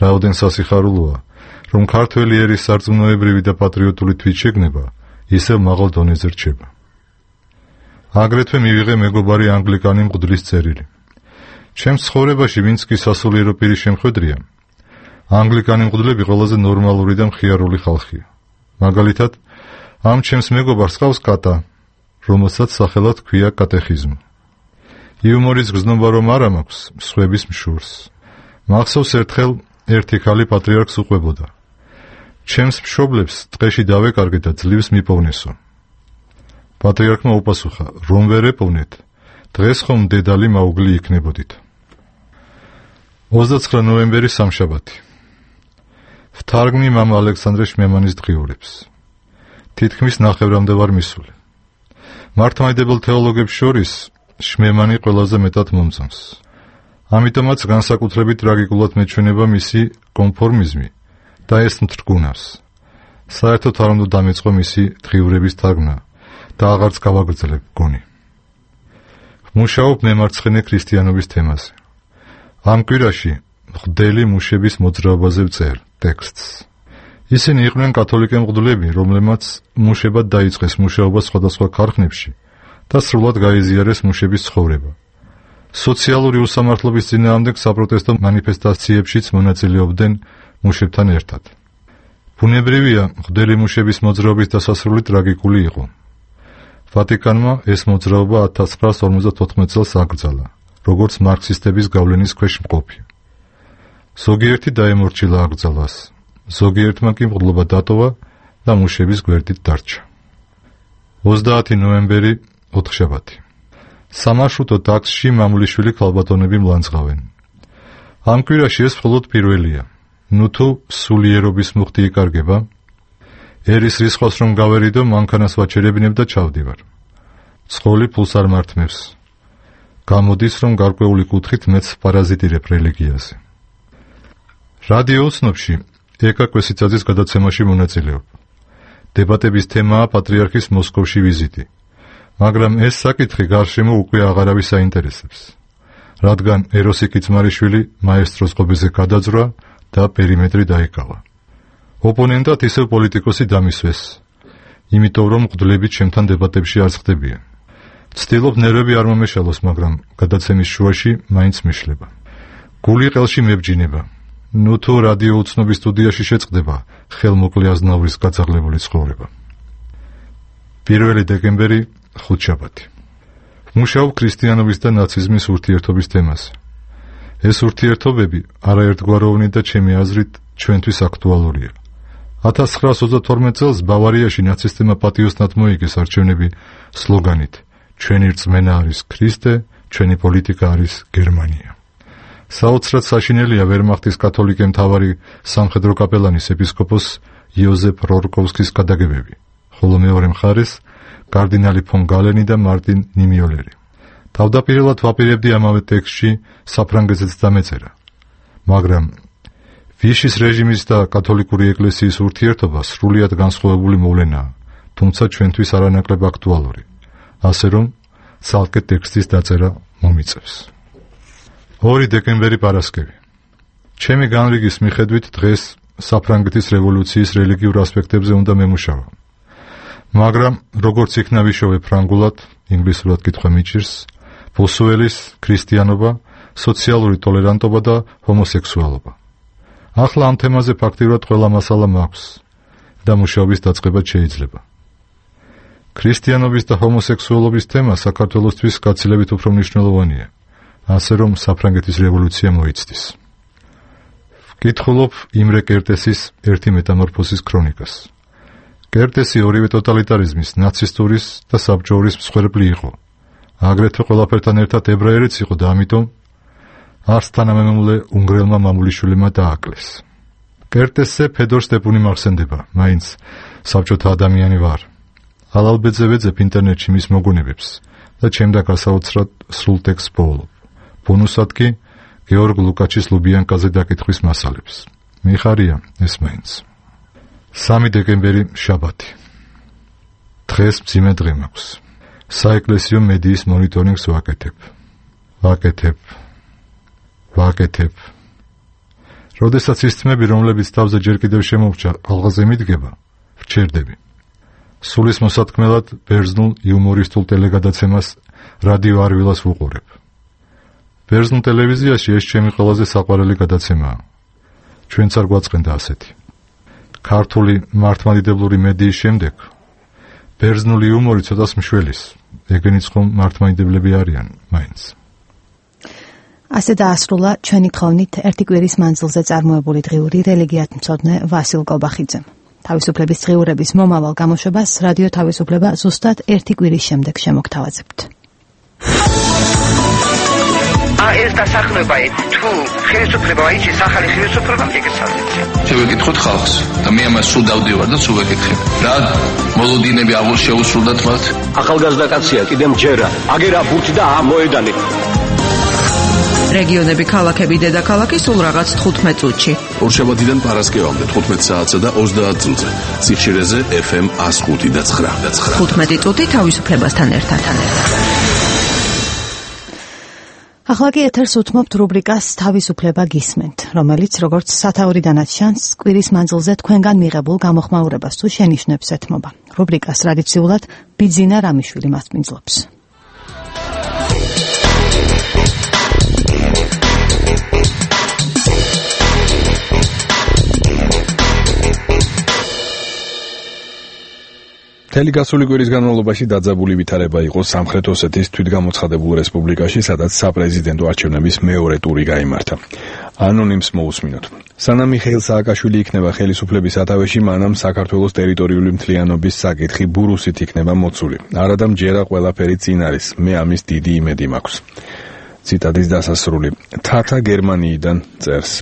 რაოდენ სასიხარულოა, რომ ქართველი ერის სარწმუნოებრივი და პატრიოტული თვითშეგნება ისევ მაღალ დონეზე რჩება. აგრეთვე მივიღე მეგობარი ანგლიკანი მღვდლის წერილი. ჩემს ცხოვრებაში ვინც კი სასულიერო პირის შემხედრია, ანგლიკანი მღვდლები ყველაზე ნორმალური და მხიარული ხალხია. მაგალითად, ამ ჩემს მეგობარს ყავს კატა, რომელსაც სახელად ქვია კატეხიზმი. იუმორის გზნობა რომ არ მაქვს სხვების მშურს. მახსოვს ერთხელ ერთი ქალი პატრიარქს უყვებოდა. ჩემს მშობლებს ტყეში დავეკარგე და ძლივს მიპოვნესო. პატრიარქმა უპასუხა, რომ ვერ ეპოვნეთ, დღეს ხომ დედალი მაუგლი იქნებოდით. ოცდაცხრა ნოემბერი სამშაბათი. ვთარგმნი მამა ალექსანდრე შმემანის დღიურებს. თითქმის ნახევრამდე ვარ მისული. მართლმადიდებელ თეოლოგებს შორის შმემანი ყველაზე მეტად მომწონს. ამიტომაც განსაკუთრებით ტრაგიკულად მეჩვენება მისი კონფორმიზმი და ეს მტრგუნავს. საერთოდ არ უნდა დამეწყო მისი დღიურების თარგმნა და აღარც გავაგრძელებ გონი. მუშაობ მემარცხენე ქრისტიანობის თემაზე. ამ კვირაში მღვდელი მუშების მოძრაობაზე ვწერ ტექსტს. ისინი იყვნენ კათოლიკე მღვდლები, რომლებმაც მუშებად დაიწყეს მუშაობა სხვადასხვა ქარხნებში და სრულად გაიზიარეს მუშების ცხოვრება. სოციალური უსამართლობის წინააღმდეგ საპროტესტო მანიფესტაციებშიც მონაწილეობდნენ მუშებთან ერთად. ბუნებრივია, მღვდელი მუშების მოძრაობის დასასრული ტრაგიკული იყო. ვატიკანმა ეს მოძრაობა ათას ცხრაას ორმოცდათოთხმეტ წელს აკრძალა, როგორც მარქსისტების გავლენის ქვეშ მყოფი. ზოგიერთი დაემორჩილა აკრძალვას, ზოგიერთმა კი მღვდლობა დატოვა და მუშების გვერდით დარჩა. ოცდაათი ნოემბერი, ოთხშაბათი. სამარშრუტო ტაქსში მამულიშვილი ქალბატონები მლანძღავენ. ამ კვირაში ეს მხოლოდ პირველია. ნუ თუ სულიერობის მუხტი იკარგება, ერის რისხვას რომ გავერიდო, მანქანას ვაჩერებინებ და ჩავდივარ. ცხოლი ფულს არ მართმევს. გამოდის, რომ გარკვეული კუთხით მეც პარაზიტირებ რელიგიაზე. რადიო ოცნებში ეკა კვესიცაძის გადაცემაში მონაწილეობ. დებატების თემაა პატრიარქის მოსკოვში ვიზიტი. მაგრამ ეს საკითხი გარშემო უკვე აღარავის აინტერესებს, რადგან ეროსი კიცმარიშვილი მაესტროს ღობეზე გადაძრა და პერიმეტრი დაიკავა. ოპონენტად ისევ პოლიტიკოსი დამისვეს, იმიტომ რომ მღვდლები ჩემთან დებატებში არ ხდებიან. ვცდილობ ნერვები არ მომეშალოს, მაგრამ გადაცემის შუაში მაინც მეშლება. გული ყელში მებჯინება. ნუ თუ რადიო ოცნობის სტუდიაში შეწყდება ხელმოკლე აზნაურის გაწაღლებული ცხოვრება. პირველი დეკემბერი, ხუთშაბათი. მუშაობ ქრისტიანობის და ნაციზმის ურთიერთობის თემაზე. ეს ურთიერთობები არაერთგვაროვნი და ჩემი აზრით ჩვენთვის აქტუალურია. ათას ცხრაას ოცდათორმეტ წელს ბავარიაში ნაცისტებმა პატიოსნად მოიგეს არჩევნები სლოგანით ჩვენი რწმენა არის ქრისტე, ჩვენი პოლიტიკა არის გერმანია. საოცრად საშინელია ვერმახტის კათოლიკე მთავარი სამხედრო კაპელანის ეპისკოპოს იოზეფ რორკოვსკის გადაგებები, ხოლო მეორე მხარეს კარდინალი ფონ გალენი და მარტინ ნიმიოლერი. თავდაპირველად ვაპირებდი ამავე ტექსტში საფრანგეთზეც დამეწერა, მაგრამ ვიშის რეჟიმის და კათოლიკური ეკლესიის ურთიერთობა სრულიად განსხვავებული მოვლენაა, თუმცა ჩვენთვის არანაკლებ აქტუალური, ასე რომ ცალკე ტექსტის დაწერა მომიწევს. ორი დეკემბერი, პარასკევი. ჩემი განრიგის მიხედვით დღეს საფრანგეთის რევოლუციის რელიგიურ ასპექტებზე უნდა მემუშავა. მაგრამ როგორც იქნა ვიშოვე ფრანგულად, ინგლისურად კითხვა მიჭირს, ბოსუელის ქრისტიანობა, სოციალური ტოლერანტობა და ჰომოსექსუალობა. ახლა ამ თემაზე ფაქტიურად ყველა მასალა მაქვს და მუშაობის დაწყებაც შეიძლება. ქრისტიანობის და ჰომოსექსუალობის თემა საქართველოსთვის გაცილებით უფრო მნიშვნელოვანია, ასე რომ საფრანგეთის რევოლუცია მოიცდის. ვკითხულობ იმრე კერტესის ერთი მეტამორფოზის ქრონიკას. კერტესი ორივე ტოტალიტარიზმის, ნაცისტურის და საბჭოურის მსხვერპლი იყო. აგრეთვე ყველაფერთან ერთად ებრაელიც იყო და ამიტომ არც თანამემამულე უნგრელმა მამულიშვილმა დააკლეს. კერტესზე ფედორ სტეპუნი მახსენდება, მაინც საბჭოთა ადამიანი ვარ. ალალბეძე ვეძებ ინტერნეტში მის მოგონებებს და ჩემდა გასაოცრად სრულ ტექსტს პოულობ. ბონუსად კი გეორგ ლუკაჩის ლუბიანკაზე დაკითხვის მასალებს. მიხარია ეს მაინც. სამი დეკემბერი, შაბათი. დღეს მძიმე დღე მაქვს. საეკლესიო მედიის მონიტორინგს ვაკეთებ. ვაკეთებ. ვაკეთებ. როდესაც ის თმები, რომლებიც თავზე ჯერ კიდევ შემოვჭა, ალღაზე მიდგება, ვჩერდები. სულის მოსათქმელად ბერძნულ იუმორისტულ ტელეგადაცემას რადიო არვილას ვუყურებ. ბერძნულ ტელევიზიაში ეს ჩემი ყველაზე საყვარელი გადაცემაა. ჩვენც არ გვაწყენდა ასეთი. ქართული მართლმადიდებლური მედიის შემდეგ ბერძნული იუმორი ცოტას მშველის, ეგენიც ხომ მართლმადიდებლები არიან მაინც. ასე დაასრულა ჩვენი თხოვნით ერთი კვირის მანძილზე წარმოებული დღიური რელიგიათმცოდნე ვასილ კობახიძემ. თავისუფლების დღიურების მომავალ გამოშვებას რადიო თავისუფლება ზუსტად ერთი კვირის შემდეგ შემოგთავაზებთ. ეს დასახლება თუ ხელისუფლება აიჩის ახალი ხელისუფლება მიგესალმეთ. შევეკითხოთ ხალხს და მე ამას სულ დავდივარ და სულ ვეკითხებ. რა მოლოდინები აღარ შეუსრულდათ მათ? ახალგაზრდა კაცია, კიდე მჯერა. აგერა ბურთი და ამოედანი. რეგიონები, ქალაქები, დედაქალაქი სულ რაღაც თხუთმეტ წუთში. ორშაბათიდან პარასკევამდე თხუთმეტ საათსა და ოცდაათ წუთზე. სიხშირეზე ეფ ემ one oh five და nine. თხუთმეტი წუთი თავისუფლებასთან ერთად. ახლა კი ეთერს უთმობთ რუბრიკას თავისუფლება გისმენთ, რომელიც როგორც სათაურიდანაც ჩანს, კვირის მანძილზე თქვენგან მიღებულ გამოხმაურებას თუ შენიშვნებს ეთმობა. რუბრიკას ტრადიციულად ბიძინა რამიშვილი მასპინძლობს. მთელი გასული კვირის განმავლობაში დაძაბული ვითარება იყო სამხრეთ ოსეთის თვითგამოცხადებულ რესპუბლიკაში, სადაც საპრეზიდენტო არჩევნების მეორე ტური გაიმართა. ანონიმს მოусმინოთ. სანამ მიხეილ სააკაშვილი იქნება ხელისუფლების სათავეში, მანამ საქართველოს ტერიტორიული მთლიანობის საკითხი ბურუსით იქნება მოცული. არადა მჯერა ყველაფერი წინ არის. მე ამის დიდი იმედი მაქვს. ციტატის დასასრული. თათა გერმანიიდან წერს.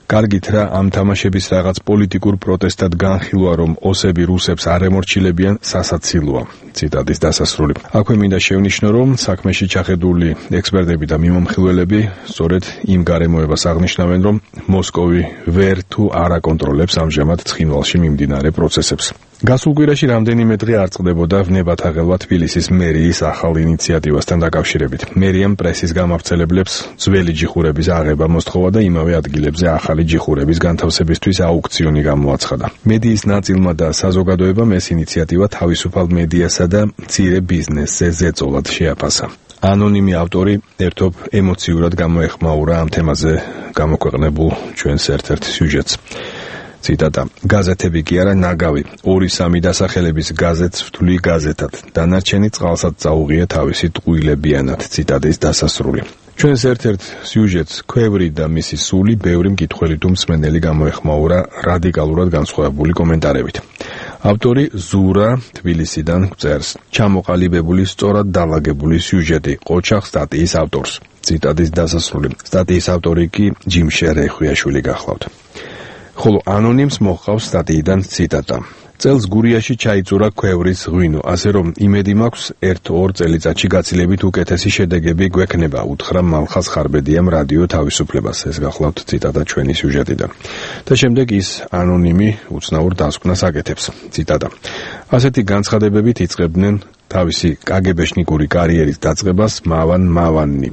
კარგით რა ამ თამაშების რაღაც პოლიტიკურ პროტესტად განხილვა, რომ ოსები რუსებს არ ემორჩილებიან, სასაცილოა. ციტატის დასასრული. აქვე მინდა შევნიშნო, რომ საქმეში ჩახედული ექსპერტები და მიმომხილველები სწორედ იმ გარემოებას აღნიშნავენ, რომ მოსკოვი ვერ თუ არ აკონტროლებს ამჟამად ცხინვალში მიმდინარე პროცესებს. გასულ კვირაში რამდენიმე დღე არ წყდებოდა ვნებათაღელვა თბილისის მერიის ახალ ინიციატივასთან დაკავშირებით. მერიამ პრესის გამავრცელებლებს ძველი ჯიხურების აღება მოსთხოვა და იმავე ადგილებზე ახალი ჯიხურების განთავსებისთვის აუქციონი გამოაცხადა. მედიის ნაწილმა და საზოგადოებამ ეს ინიციატივა თავისუფალ მედიასა და მცირე ბიზნესზე ზეწოლად შეაფასა. ანონიმი ავტორი ერთობ ემოციურად გამოეხმაურა ამ თემაზე გამოქვეყნებულ ჩვენს ერთ-ერთ სიუჟეტს. ციტატა. გაზეთები კი არა ნაგავი, ორი სამი დასახელების გაზეთს ვთვლი გაზეთად, დანარჩენი წყალსაც წაუღია თავისი ტყუილებიანად. ციტატის დასასრული. ჩვენს ერთ-ერთ სიუჟეტს ქვევრი და მისი სული ბევრი მკითხველი თუ მსმენელი გამოეხმაურა რადიკალურად განსხვავებული კომენტარებით. ავტორი ზურა თბილისიდან წერს. ჩამოყალიბებული სწორად დალაგებული სიუჟეტი ყოჩახ სტატიის ავტორს. ციტატის დასასრული. სტატიის ავტორი კი ჯიმშე რეხვიაშვილი გახლავთ. ხოლო ანონიმს მოჰყავს სტატიიდან ციტატა. წელს გურიაში ჩაიწურა ქვევრის ღვინო, ასე რომ იმედი მაქვს ერთ-ორ წელიწადში გაცილებით უკეთესი შედეგები გვექნება, უთხრა მალხაზ ხარბედიამ რადიო თავისუფლებას. ეს გახლავთ ციტატა ჩვენი სიუჟეტიდან. და შემდეგ ის ანონიმი უცნაურ დასკვნას აკეთებს. ციტატა. ასეთი განცხადებებით იწყებდნენ თავისი კაგებეშნიკური კარიერის დაწყებას მავან მავანნი.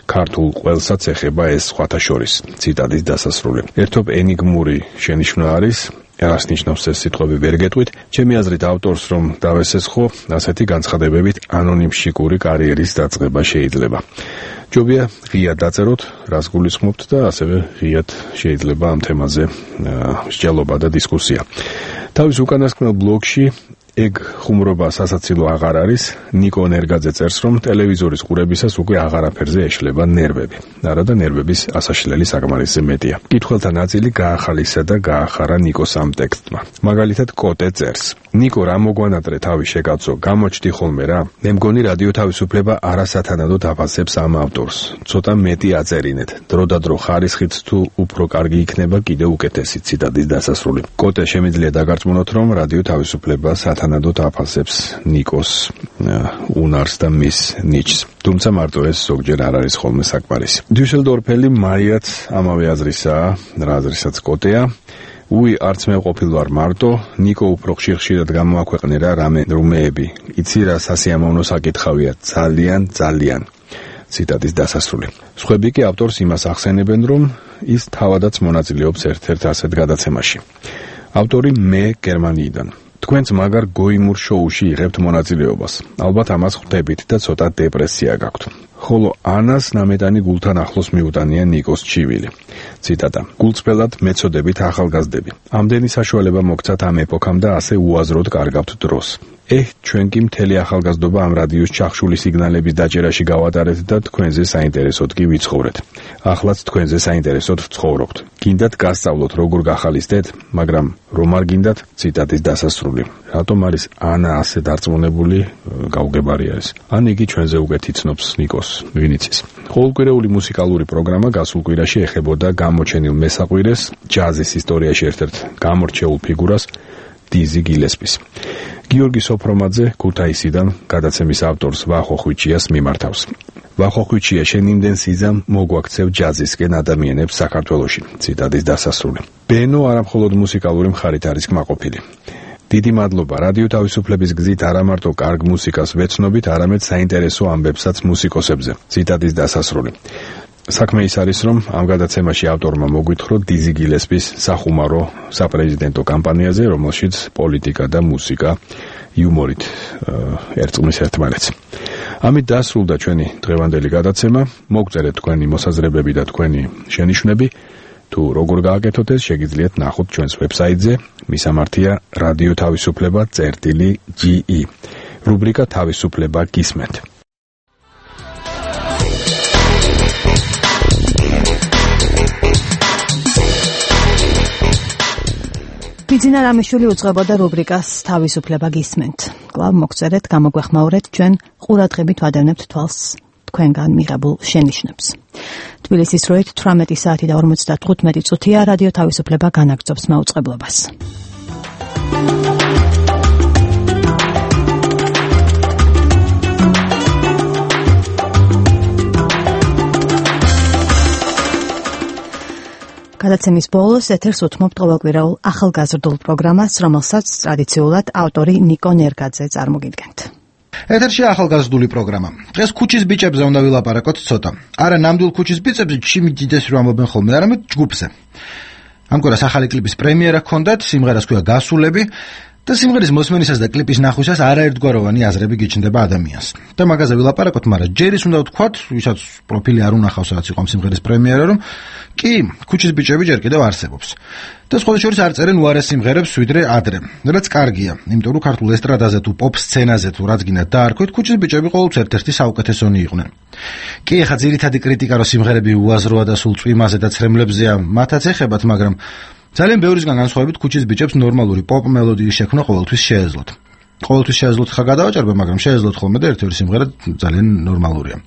ქართულ ყველსაც ეხება ეს სხვათა შორის. ციტატის დასასრული. ერთობ ენიგმური შენიშვნა არის, რას ნიშნავს ეს სიტყვები ვერ გეტყვით, ჩემი აზრით ავტორს რომ დავესესხო, ასეთი განცხადებებით ანონიმშიკური კარიერის დაწყება შეიძლება. ჯობია ღიად დაწეროთ, რას გულისხმობთ და ასევე ღიად შეიძლება ამ თემაზე მსჯელობა და დისკუსია. თავის უკანასკნელ ბლოგში ეგ ხუმრობა სასაცილო აღარ არის. ნიკო ნერგაძე წერს, რომ ტელევიზორის ყურებისას უკვე აღარაფერზე ეშლება ნერვები. არადა ნერვების ასაშლელი საკმარისზე მეტია. კითხველთა ნაწილი გაახალისა და გაახარა ნიკოს ამ ტექსტმა. მაგალითად კოტე წერს. ნიკო რა მოგვანატრე თავი შეკაცო, გამოჩდი ხოლმე რა. მე მგონი რადიო თავისუფლება არასათანადოდ აფასებს ამ ავტორს. ცოტა მეტი აწერინეთ. დრო და დრო ხარისხით თუ უფრო კარგი იქნება კიდევ უკეთესი. ციტატის დასასრული. კოტე შემიძლია დაგარწმუნოთ, რომ რადიო თავისუფლება სათანადოდ აფასებს ნიკოს უნარს და მის ნიჭს. თუმცა მარტო ეს ზოგჯერ არ არის ხოლმე საკმარისი. დიუსელდორფელი მარიაც ამავე აზრისაა, რა აზრისაც კოტეა. უი არც მე ყოფილვარ მარტო, ნიკო უფრო ხშირ-ხშირად გამოაქვეყნე რა რამე რუმეები. იცი რა სასიამოვნო საკითხავია, ძალიან ძალიან. ციტატის დასასრული. სხვები კი ავტორს იმას ახსენებენ, რომ ის თავადაც მონაწილეობს ერთ-ერთ ასეთ გადაცემაში. ავტორი მე გერმანიიდან. თქვენც მაგარ გოიმურ შოუში იღებთ მონაწილეობას. ალბათ ამას ხვდებით და ცოტა დეპრესია გაქვთ. ხოლო ანას ნამეტანი გულთან ახლოს მიუტანია ნიკოს ჩივილი. ციტატა. გულწრფელად მეწოდებით ახალგაზრდები. ამდენი საშუალება მოგცათ ამ ეპოქამ და ასე უაზროდ კარგავთ დროს. ეჰ, ჩვენ კი მთელი ახალგაზრდობა ამ რადიოს ჩახშული სიგნალების დაჭერაში გავატარეთ და თქვენზე საინტერესოდ კი ვიცხოვრეთ. ახლაც თქვენზე საინტერესოდ ვცხოვრობთ. გინდათ გასწავლოთ როგორ გახალისდეთ, მაგრამ რომ არ გინდათ, ციტატის დასასრული. რატომ არის ანა ასე დარწმუნებული, გაუგებარი არის. ან იგი ჩვენზე უკეთ იცნობს ნიკოს, ვინ იცის. ყოველკვირეული მუსიკალური პროგრამა გასულ კვირაში ეხებოდა გამოჩენილ მესაყვირეს, ჯაზის ისტორიაში ერთ-ერთ გამორჩეულ ფიგურას, დიზი გილესპის. გიორგი სოფრომაძე ქუთაისიდან გადაცემის ავტორს ვახო ხვიჩიას მიმართავს. ვახოხვიჩია შენ იმდენ სიზამ მოგვაქცევ ჯაზისკენ ადამიანებს საქართველოში. ციტატის დასასრული. ბენო არამხოლოდ მუსიკალური მხარით არის კმაყოფილი. დიდი მადლობა რადიო თავისუფლების გზით არა მარტო კარგ მუსიკას ვეცნობით, არამედ საინტერესო ამბებსაც მუსიკოსებზე. ციტატის დასასრული. საქმე ის არის, რომ ამ გადაცემაში ავტორმა მოგვითხრა დიზი გილესპის სახუმარო საპრეზიდენტო კამპანიაზე, რომელშიც პოლიტიკა და მუსიკა იუმორით ერწყმის ერთმანეთს. ამით დასრულდა ჩვენი დღევანდელი გადაცემა. მოგწერეთ თქვენი მოსაზრებები და თქვენი შენიშვნები. თუ როგორ გააკეთოთ ეს, შეგიძლიათ ნახოთ ჩვენს ვებსაიტზე მისამართია რადიო თავისუფლება წერტილი ჯი ი. რუბრიკა თავისუფლება გისმენთ. ბიძინა რამიშვილი უძღვებოდა რუბრიკას თავისუფლება გისმენთ. კვლავ მოგწერეთ, გამოგვეხმაურეთ, ჩვენ ყურადღებით ვადევნებთ თვალს თქვენგან მიღებულ შენიშვნებს. თბილისის დროით თვრამეტი საათი და ორმოცდათხუთმეტი წუთია. რადიო თავისუფლება განაგრძობს მაუწყებლობას. გადაცემის ბოლოს ეთერს უთმობთ ყოველკვირეულ ახალგაზრდულ პროგრამას, რომელსაც ტრადიციულად ავტორი ნიკო ნერგაძე წარმოგიდგენთ. ეთერში ახალგაზრდული პროგრამა. დღეს ქუჩის ბიჭებზე უნდა ვილაპარაკოთ ცოტა. არა ნამდვილ ქუჩის ბიჭებზე, ჩიმი დიდეს რომ ამბობენ ხოლმე, არამედ ჯგუფზე. ამგვარად ახალი კლიპის პრემიერა ჰქონდათ, სიმღერას ქვია გასულები და სიმღერის მოსმენისას და კლიპის ნახვისას არაერთგვაროვანი აზრები გიჩნდება ადამიანს. და მაგაზე ვილაპარაკოთ, მაგრამ ჯერ ის უნდა ვთქვათ, ვისაც პროფილი არ უნახავს, რაც იყო სიმღერის პრემიერა, რომ კი, ქუჩის ბიჭები ჯერ კიდევ არსებობს. და სხვა შორის არ წერენ უარეს სიმღერებს ვიდრე ადრე. რაც კარგია, იმიტომ რომ ქართულ ესტრადაზე თუ პოპ სცენაზე თუ რაც გინდა დაარქვით, ქუჩის ბიჭები ყოველთვის ერთ-ერთი საუკეთესონი იყვნენ. კი, ახლა ძირითადი კრიტიკა რომ სიმღერები უაზროა და სულ წვიმაზე და ცრემლებზეა, მათაც ეხებათ, მაგრამ ძალიან ბევრისგან განსხვავებით ქუჩის ბიჭებს ნორმალური პოპ მელოდიის შექმნა ყოველთვის შეეძლოთ. ყოველთვის შეეძლოთ ხა გადავაჭერბე, მაგრამ შეეძლოთ ხოლმე და ერთ-ერთი სიმღერა ძალიან ნორმალურია.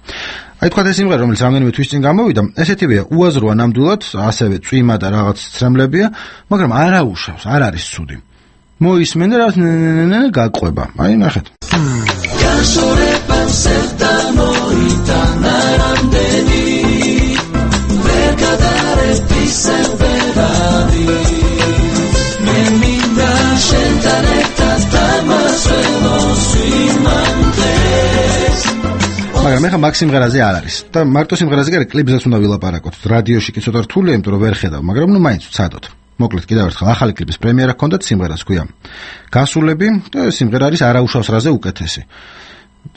აი თქვა ეს სიმღერა, რომელიც რამდენიმე თვის წინ გამოვიდა, ესეთივეა, უაზროა ნამდვილად, ასევე წვიმა და რაღაც ცრემლებია, მაგრამ არ აუშავს, არ არის ცუდი. მოისმენ და რაღაც გაყვება. აი ნახეთ. მაგრამ ეხა მაგ სიმღერაზე არ არის და მარტო სიმღერაზე კი არა, კლიპზეც უნდა ვილაპარაკოთ. რადიოში კი ცოტა რთულია, იმიტომ რომ ვერ ხედავ, მაგრამ ნუ მაინც ვცადოთ. მოკლედ კიდევ ერთხელ ახალი კლიპის პრემიერა ჰქონდათ, სიმღერას ქვია გასულები და სიმღერა არის არაუშავს რაზე უკეთესი.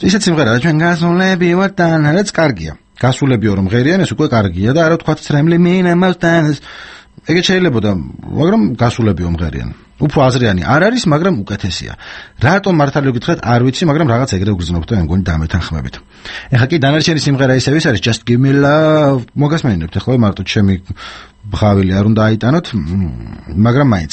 ისეთ სიმღერაა, ჩვენ გასულები ვართ და რაც კარგია. გასულები რომ ღერიან, ეს უკვე კარგია და არა თქვა ცრემლი მინა მასთან. ეგეც შეიძლება და მაგრამ გასულები მომღერიან. უფრო აზრიანი არ არის, მაგრამ უკეთესია. რატომ მართალი გითხრათ, არ ვიცი, მაგრამ რაღაც ეგრე გგრძნობთ და მე მგონი დამეთანხმებით. ეხა კი დანარჩენი სიმღერა ისევ ის არის, just give me love. მოგასმენინებთ, ეხლა მარტო ჩემი ბღავილი არ უნდა აიტანოთ, მაგრამ მაინც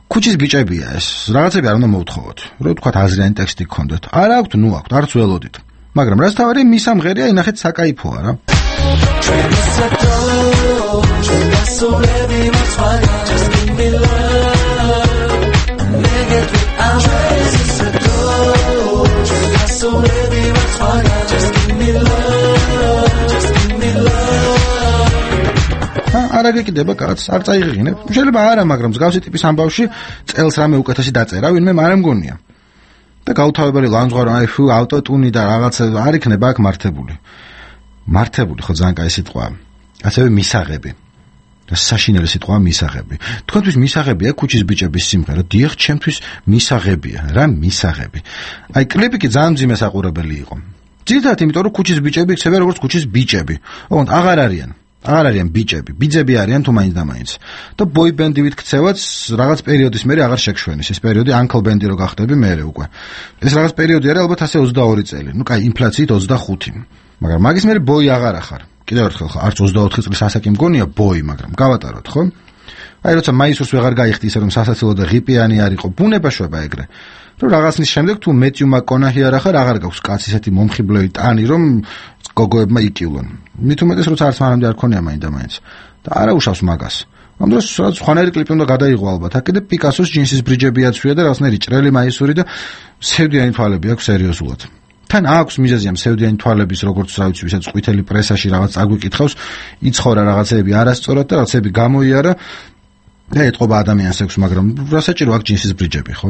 ქუჩის ბიჭებია ეს. რაღაცები არ უნდა მოვთხოვოთ. რო თქვა აზრიანი ტექსტი გქონდეთ. არ აქვთ, ნუ აქვთ, არც ველოდით. მაგრამ რაც თავარი მის ამღერია, ინახეთ საკაიფოა რა. არ აგეკიდება კაც, არ წაიღინებ. შეიძლება არა, მაგრამ მსგავსი ტიპის ამბავში წელს რამე უკეთესი დაწერა, ვინმე არ ამგონია. და გაუთავებელი ლანძღვარო, აი ფუ, ავტოტუნი და რაღაც არ იქნება აქ მართებული. მართებული ხო ძალიან კაი სიტყვაა. ასევე მისაღები. და საშინელი სიტყვაა მისაღები. თქვენთვის მისაღებია ქუჩის ბიჭების სიმღერა. დიახ, ჩემთვის მისაღებია. რა მისაღები? აი კლიპი კი ძალიან მძიმე საყურებელი იყო. ძირითადად იმიტომ რომ ქუჩის ბიჭები იქცევიან როგორც ქუჩის ბიჭები. ოღონდ აღარ არიან. აღარ არიან ბიჭები. ბიძები არიან თუ მაინც და მაინც. და ბოი ბენდივით ქცევაც რაღაც პერიოდის მერე აღარ შეგშვენის. ეს პერიოდი ანკლ ბენდი რო გახდები მერე უკვე. ეს რაღაც პერიოდი არის ალბათ ასე ოცდაორი წელი. ნუ კაი, ინფლაციით ოცდახუთი. მაგრამ მაგის მერე ბოი აღარ ახარ. კიდევ ერთხელ ხო, არც ოცდაოთხი წლის ასაკი მგონია ბოი, მაგრამ გავატაროთ, ხო? აი როცა მაისურს ვეღარ გაიხდი ისე რომ სასაცილო და ღიპიანი არ იყო, ბუნება შვება ეგრე. რომ რაღაცნის შემდეგ თუ მეტიუ მაკონაჰი არ ახარ, აღარ გაქვს კაც ისეთი მომხიბლელი ტანი, რომ გოგოებმა იკივლონ. მით უმეტეს როცა არც მანამდე არ ქონია მაინდა მაინც. და არა უშავს მაგას. ამ დროს რაც ხვანერი კლიპი უნდა გადაიღო ალბათ. აქ კიდე პიკასოს ჯინსის ბრიჯები აცვია და რაღაცნაირი ჭრელი მაისური და სევდიანი თვალები აქვს სერიოზულად. თან აქვს მიზეზია მსევდიანი თვალების, როგორც რა ვიცი, ვისაც ყვითელი პრესაში რაღაც აგვიკითხავს, იცხოვრა რაღაცეები არასწორად და რაღაცეები გამოიარა და ეთყობა ადამიანს ექვს, მაგრამ რა საჭირო აქვს ჯინსის ბრიჯები, ხო?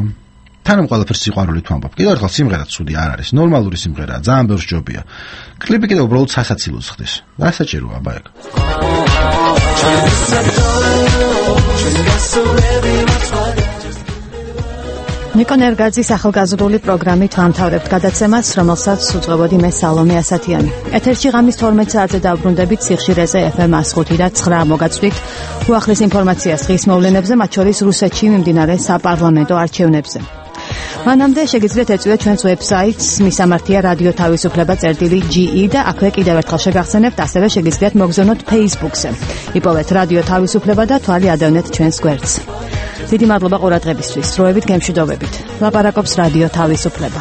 თან ყველაფერს სიყვარულით ვამბობ. კიდევ ერთხელ სიმღერა ცუდი არ არის, ნორმალური სიმღერაა, ძალიან ბევრს ჯობია. კლიპი კიდევ უბრალოდ სასაცილოს ხდის. რა საჭიროა აბა ეგ? ნიკო ნერგაძის ახალგაზრდული პროგრამით ვამთავრებთ გადაცემას, რომელსაც უძღვებოდი მე სალომე ასათიანი. ეთერში ღამის თორმეტ საათზე დავბრუნდებით სიხშირეზე ეფ ემ one oh five და nine მოგაწვდით უახლეს ინფორმაციას დღის მოვლენებზე, მათ შორის რუსეთში მიმდინარე საპარლამენტო არჩევნებზე. მანამდე შეგიძლიათ ეწვიოთ ჩვენს ვებსაიტს მისამართია რადიო თავისუფლება წერტილი ჯი ი და აქვე კიდევ ერთხელ შეგახსენებთ, ასევე შეგიძლიათ მოგზავნოთ Facebook-ზე. იპოვეთ რადიო თავისუფლება და თვალი ადევნეთ ჩვენს გვერდს. დიდი მადლობა ყურადღებისთვის. დროებით გემშვიდობებით. ლაპარაკობს რადიო თავისუფლება.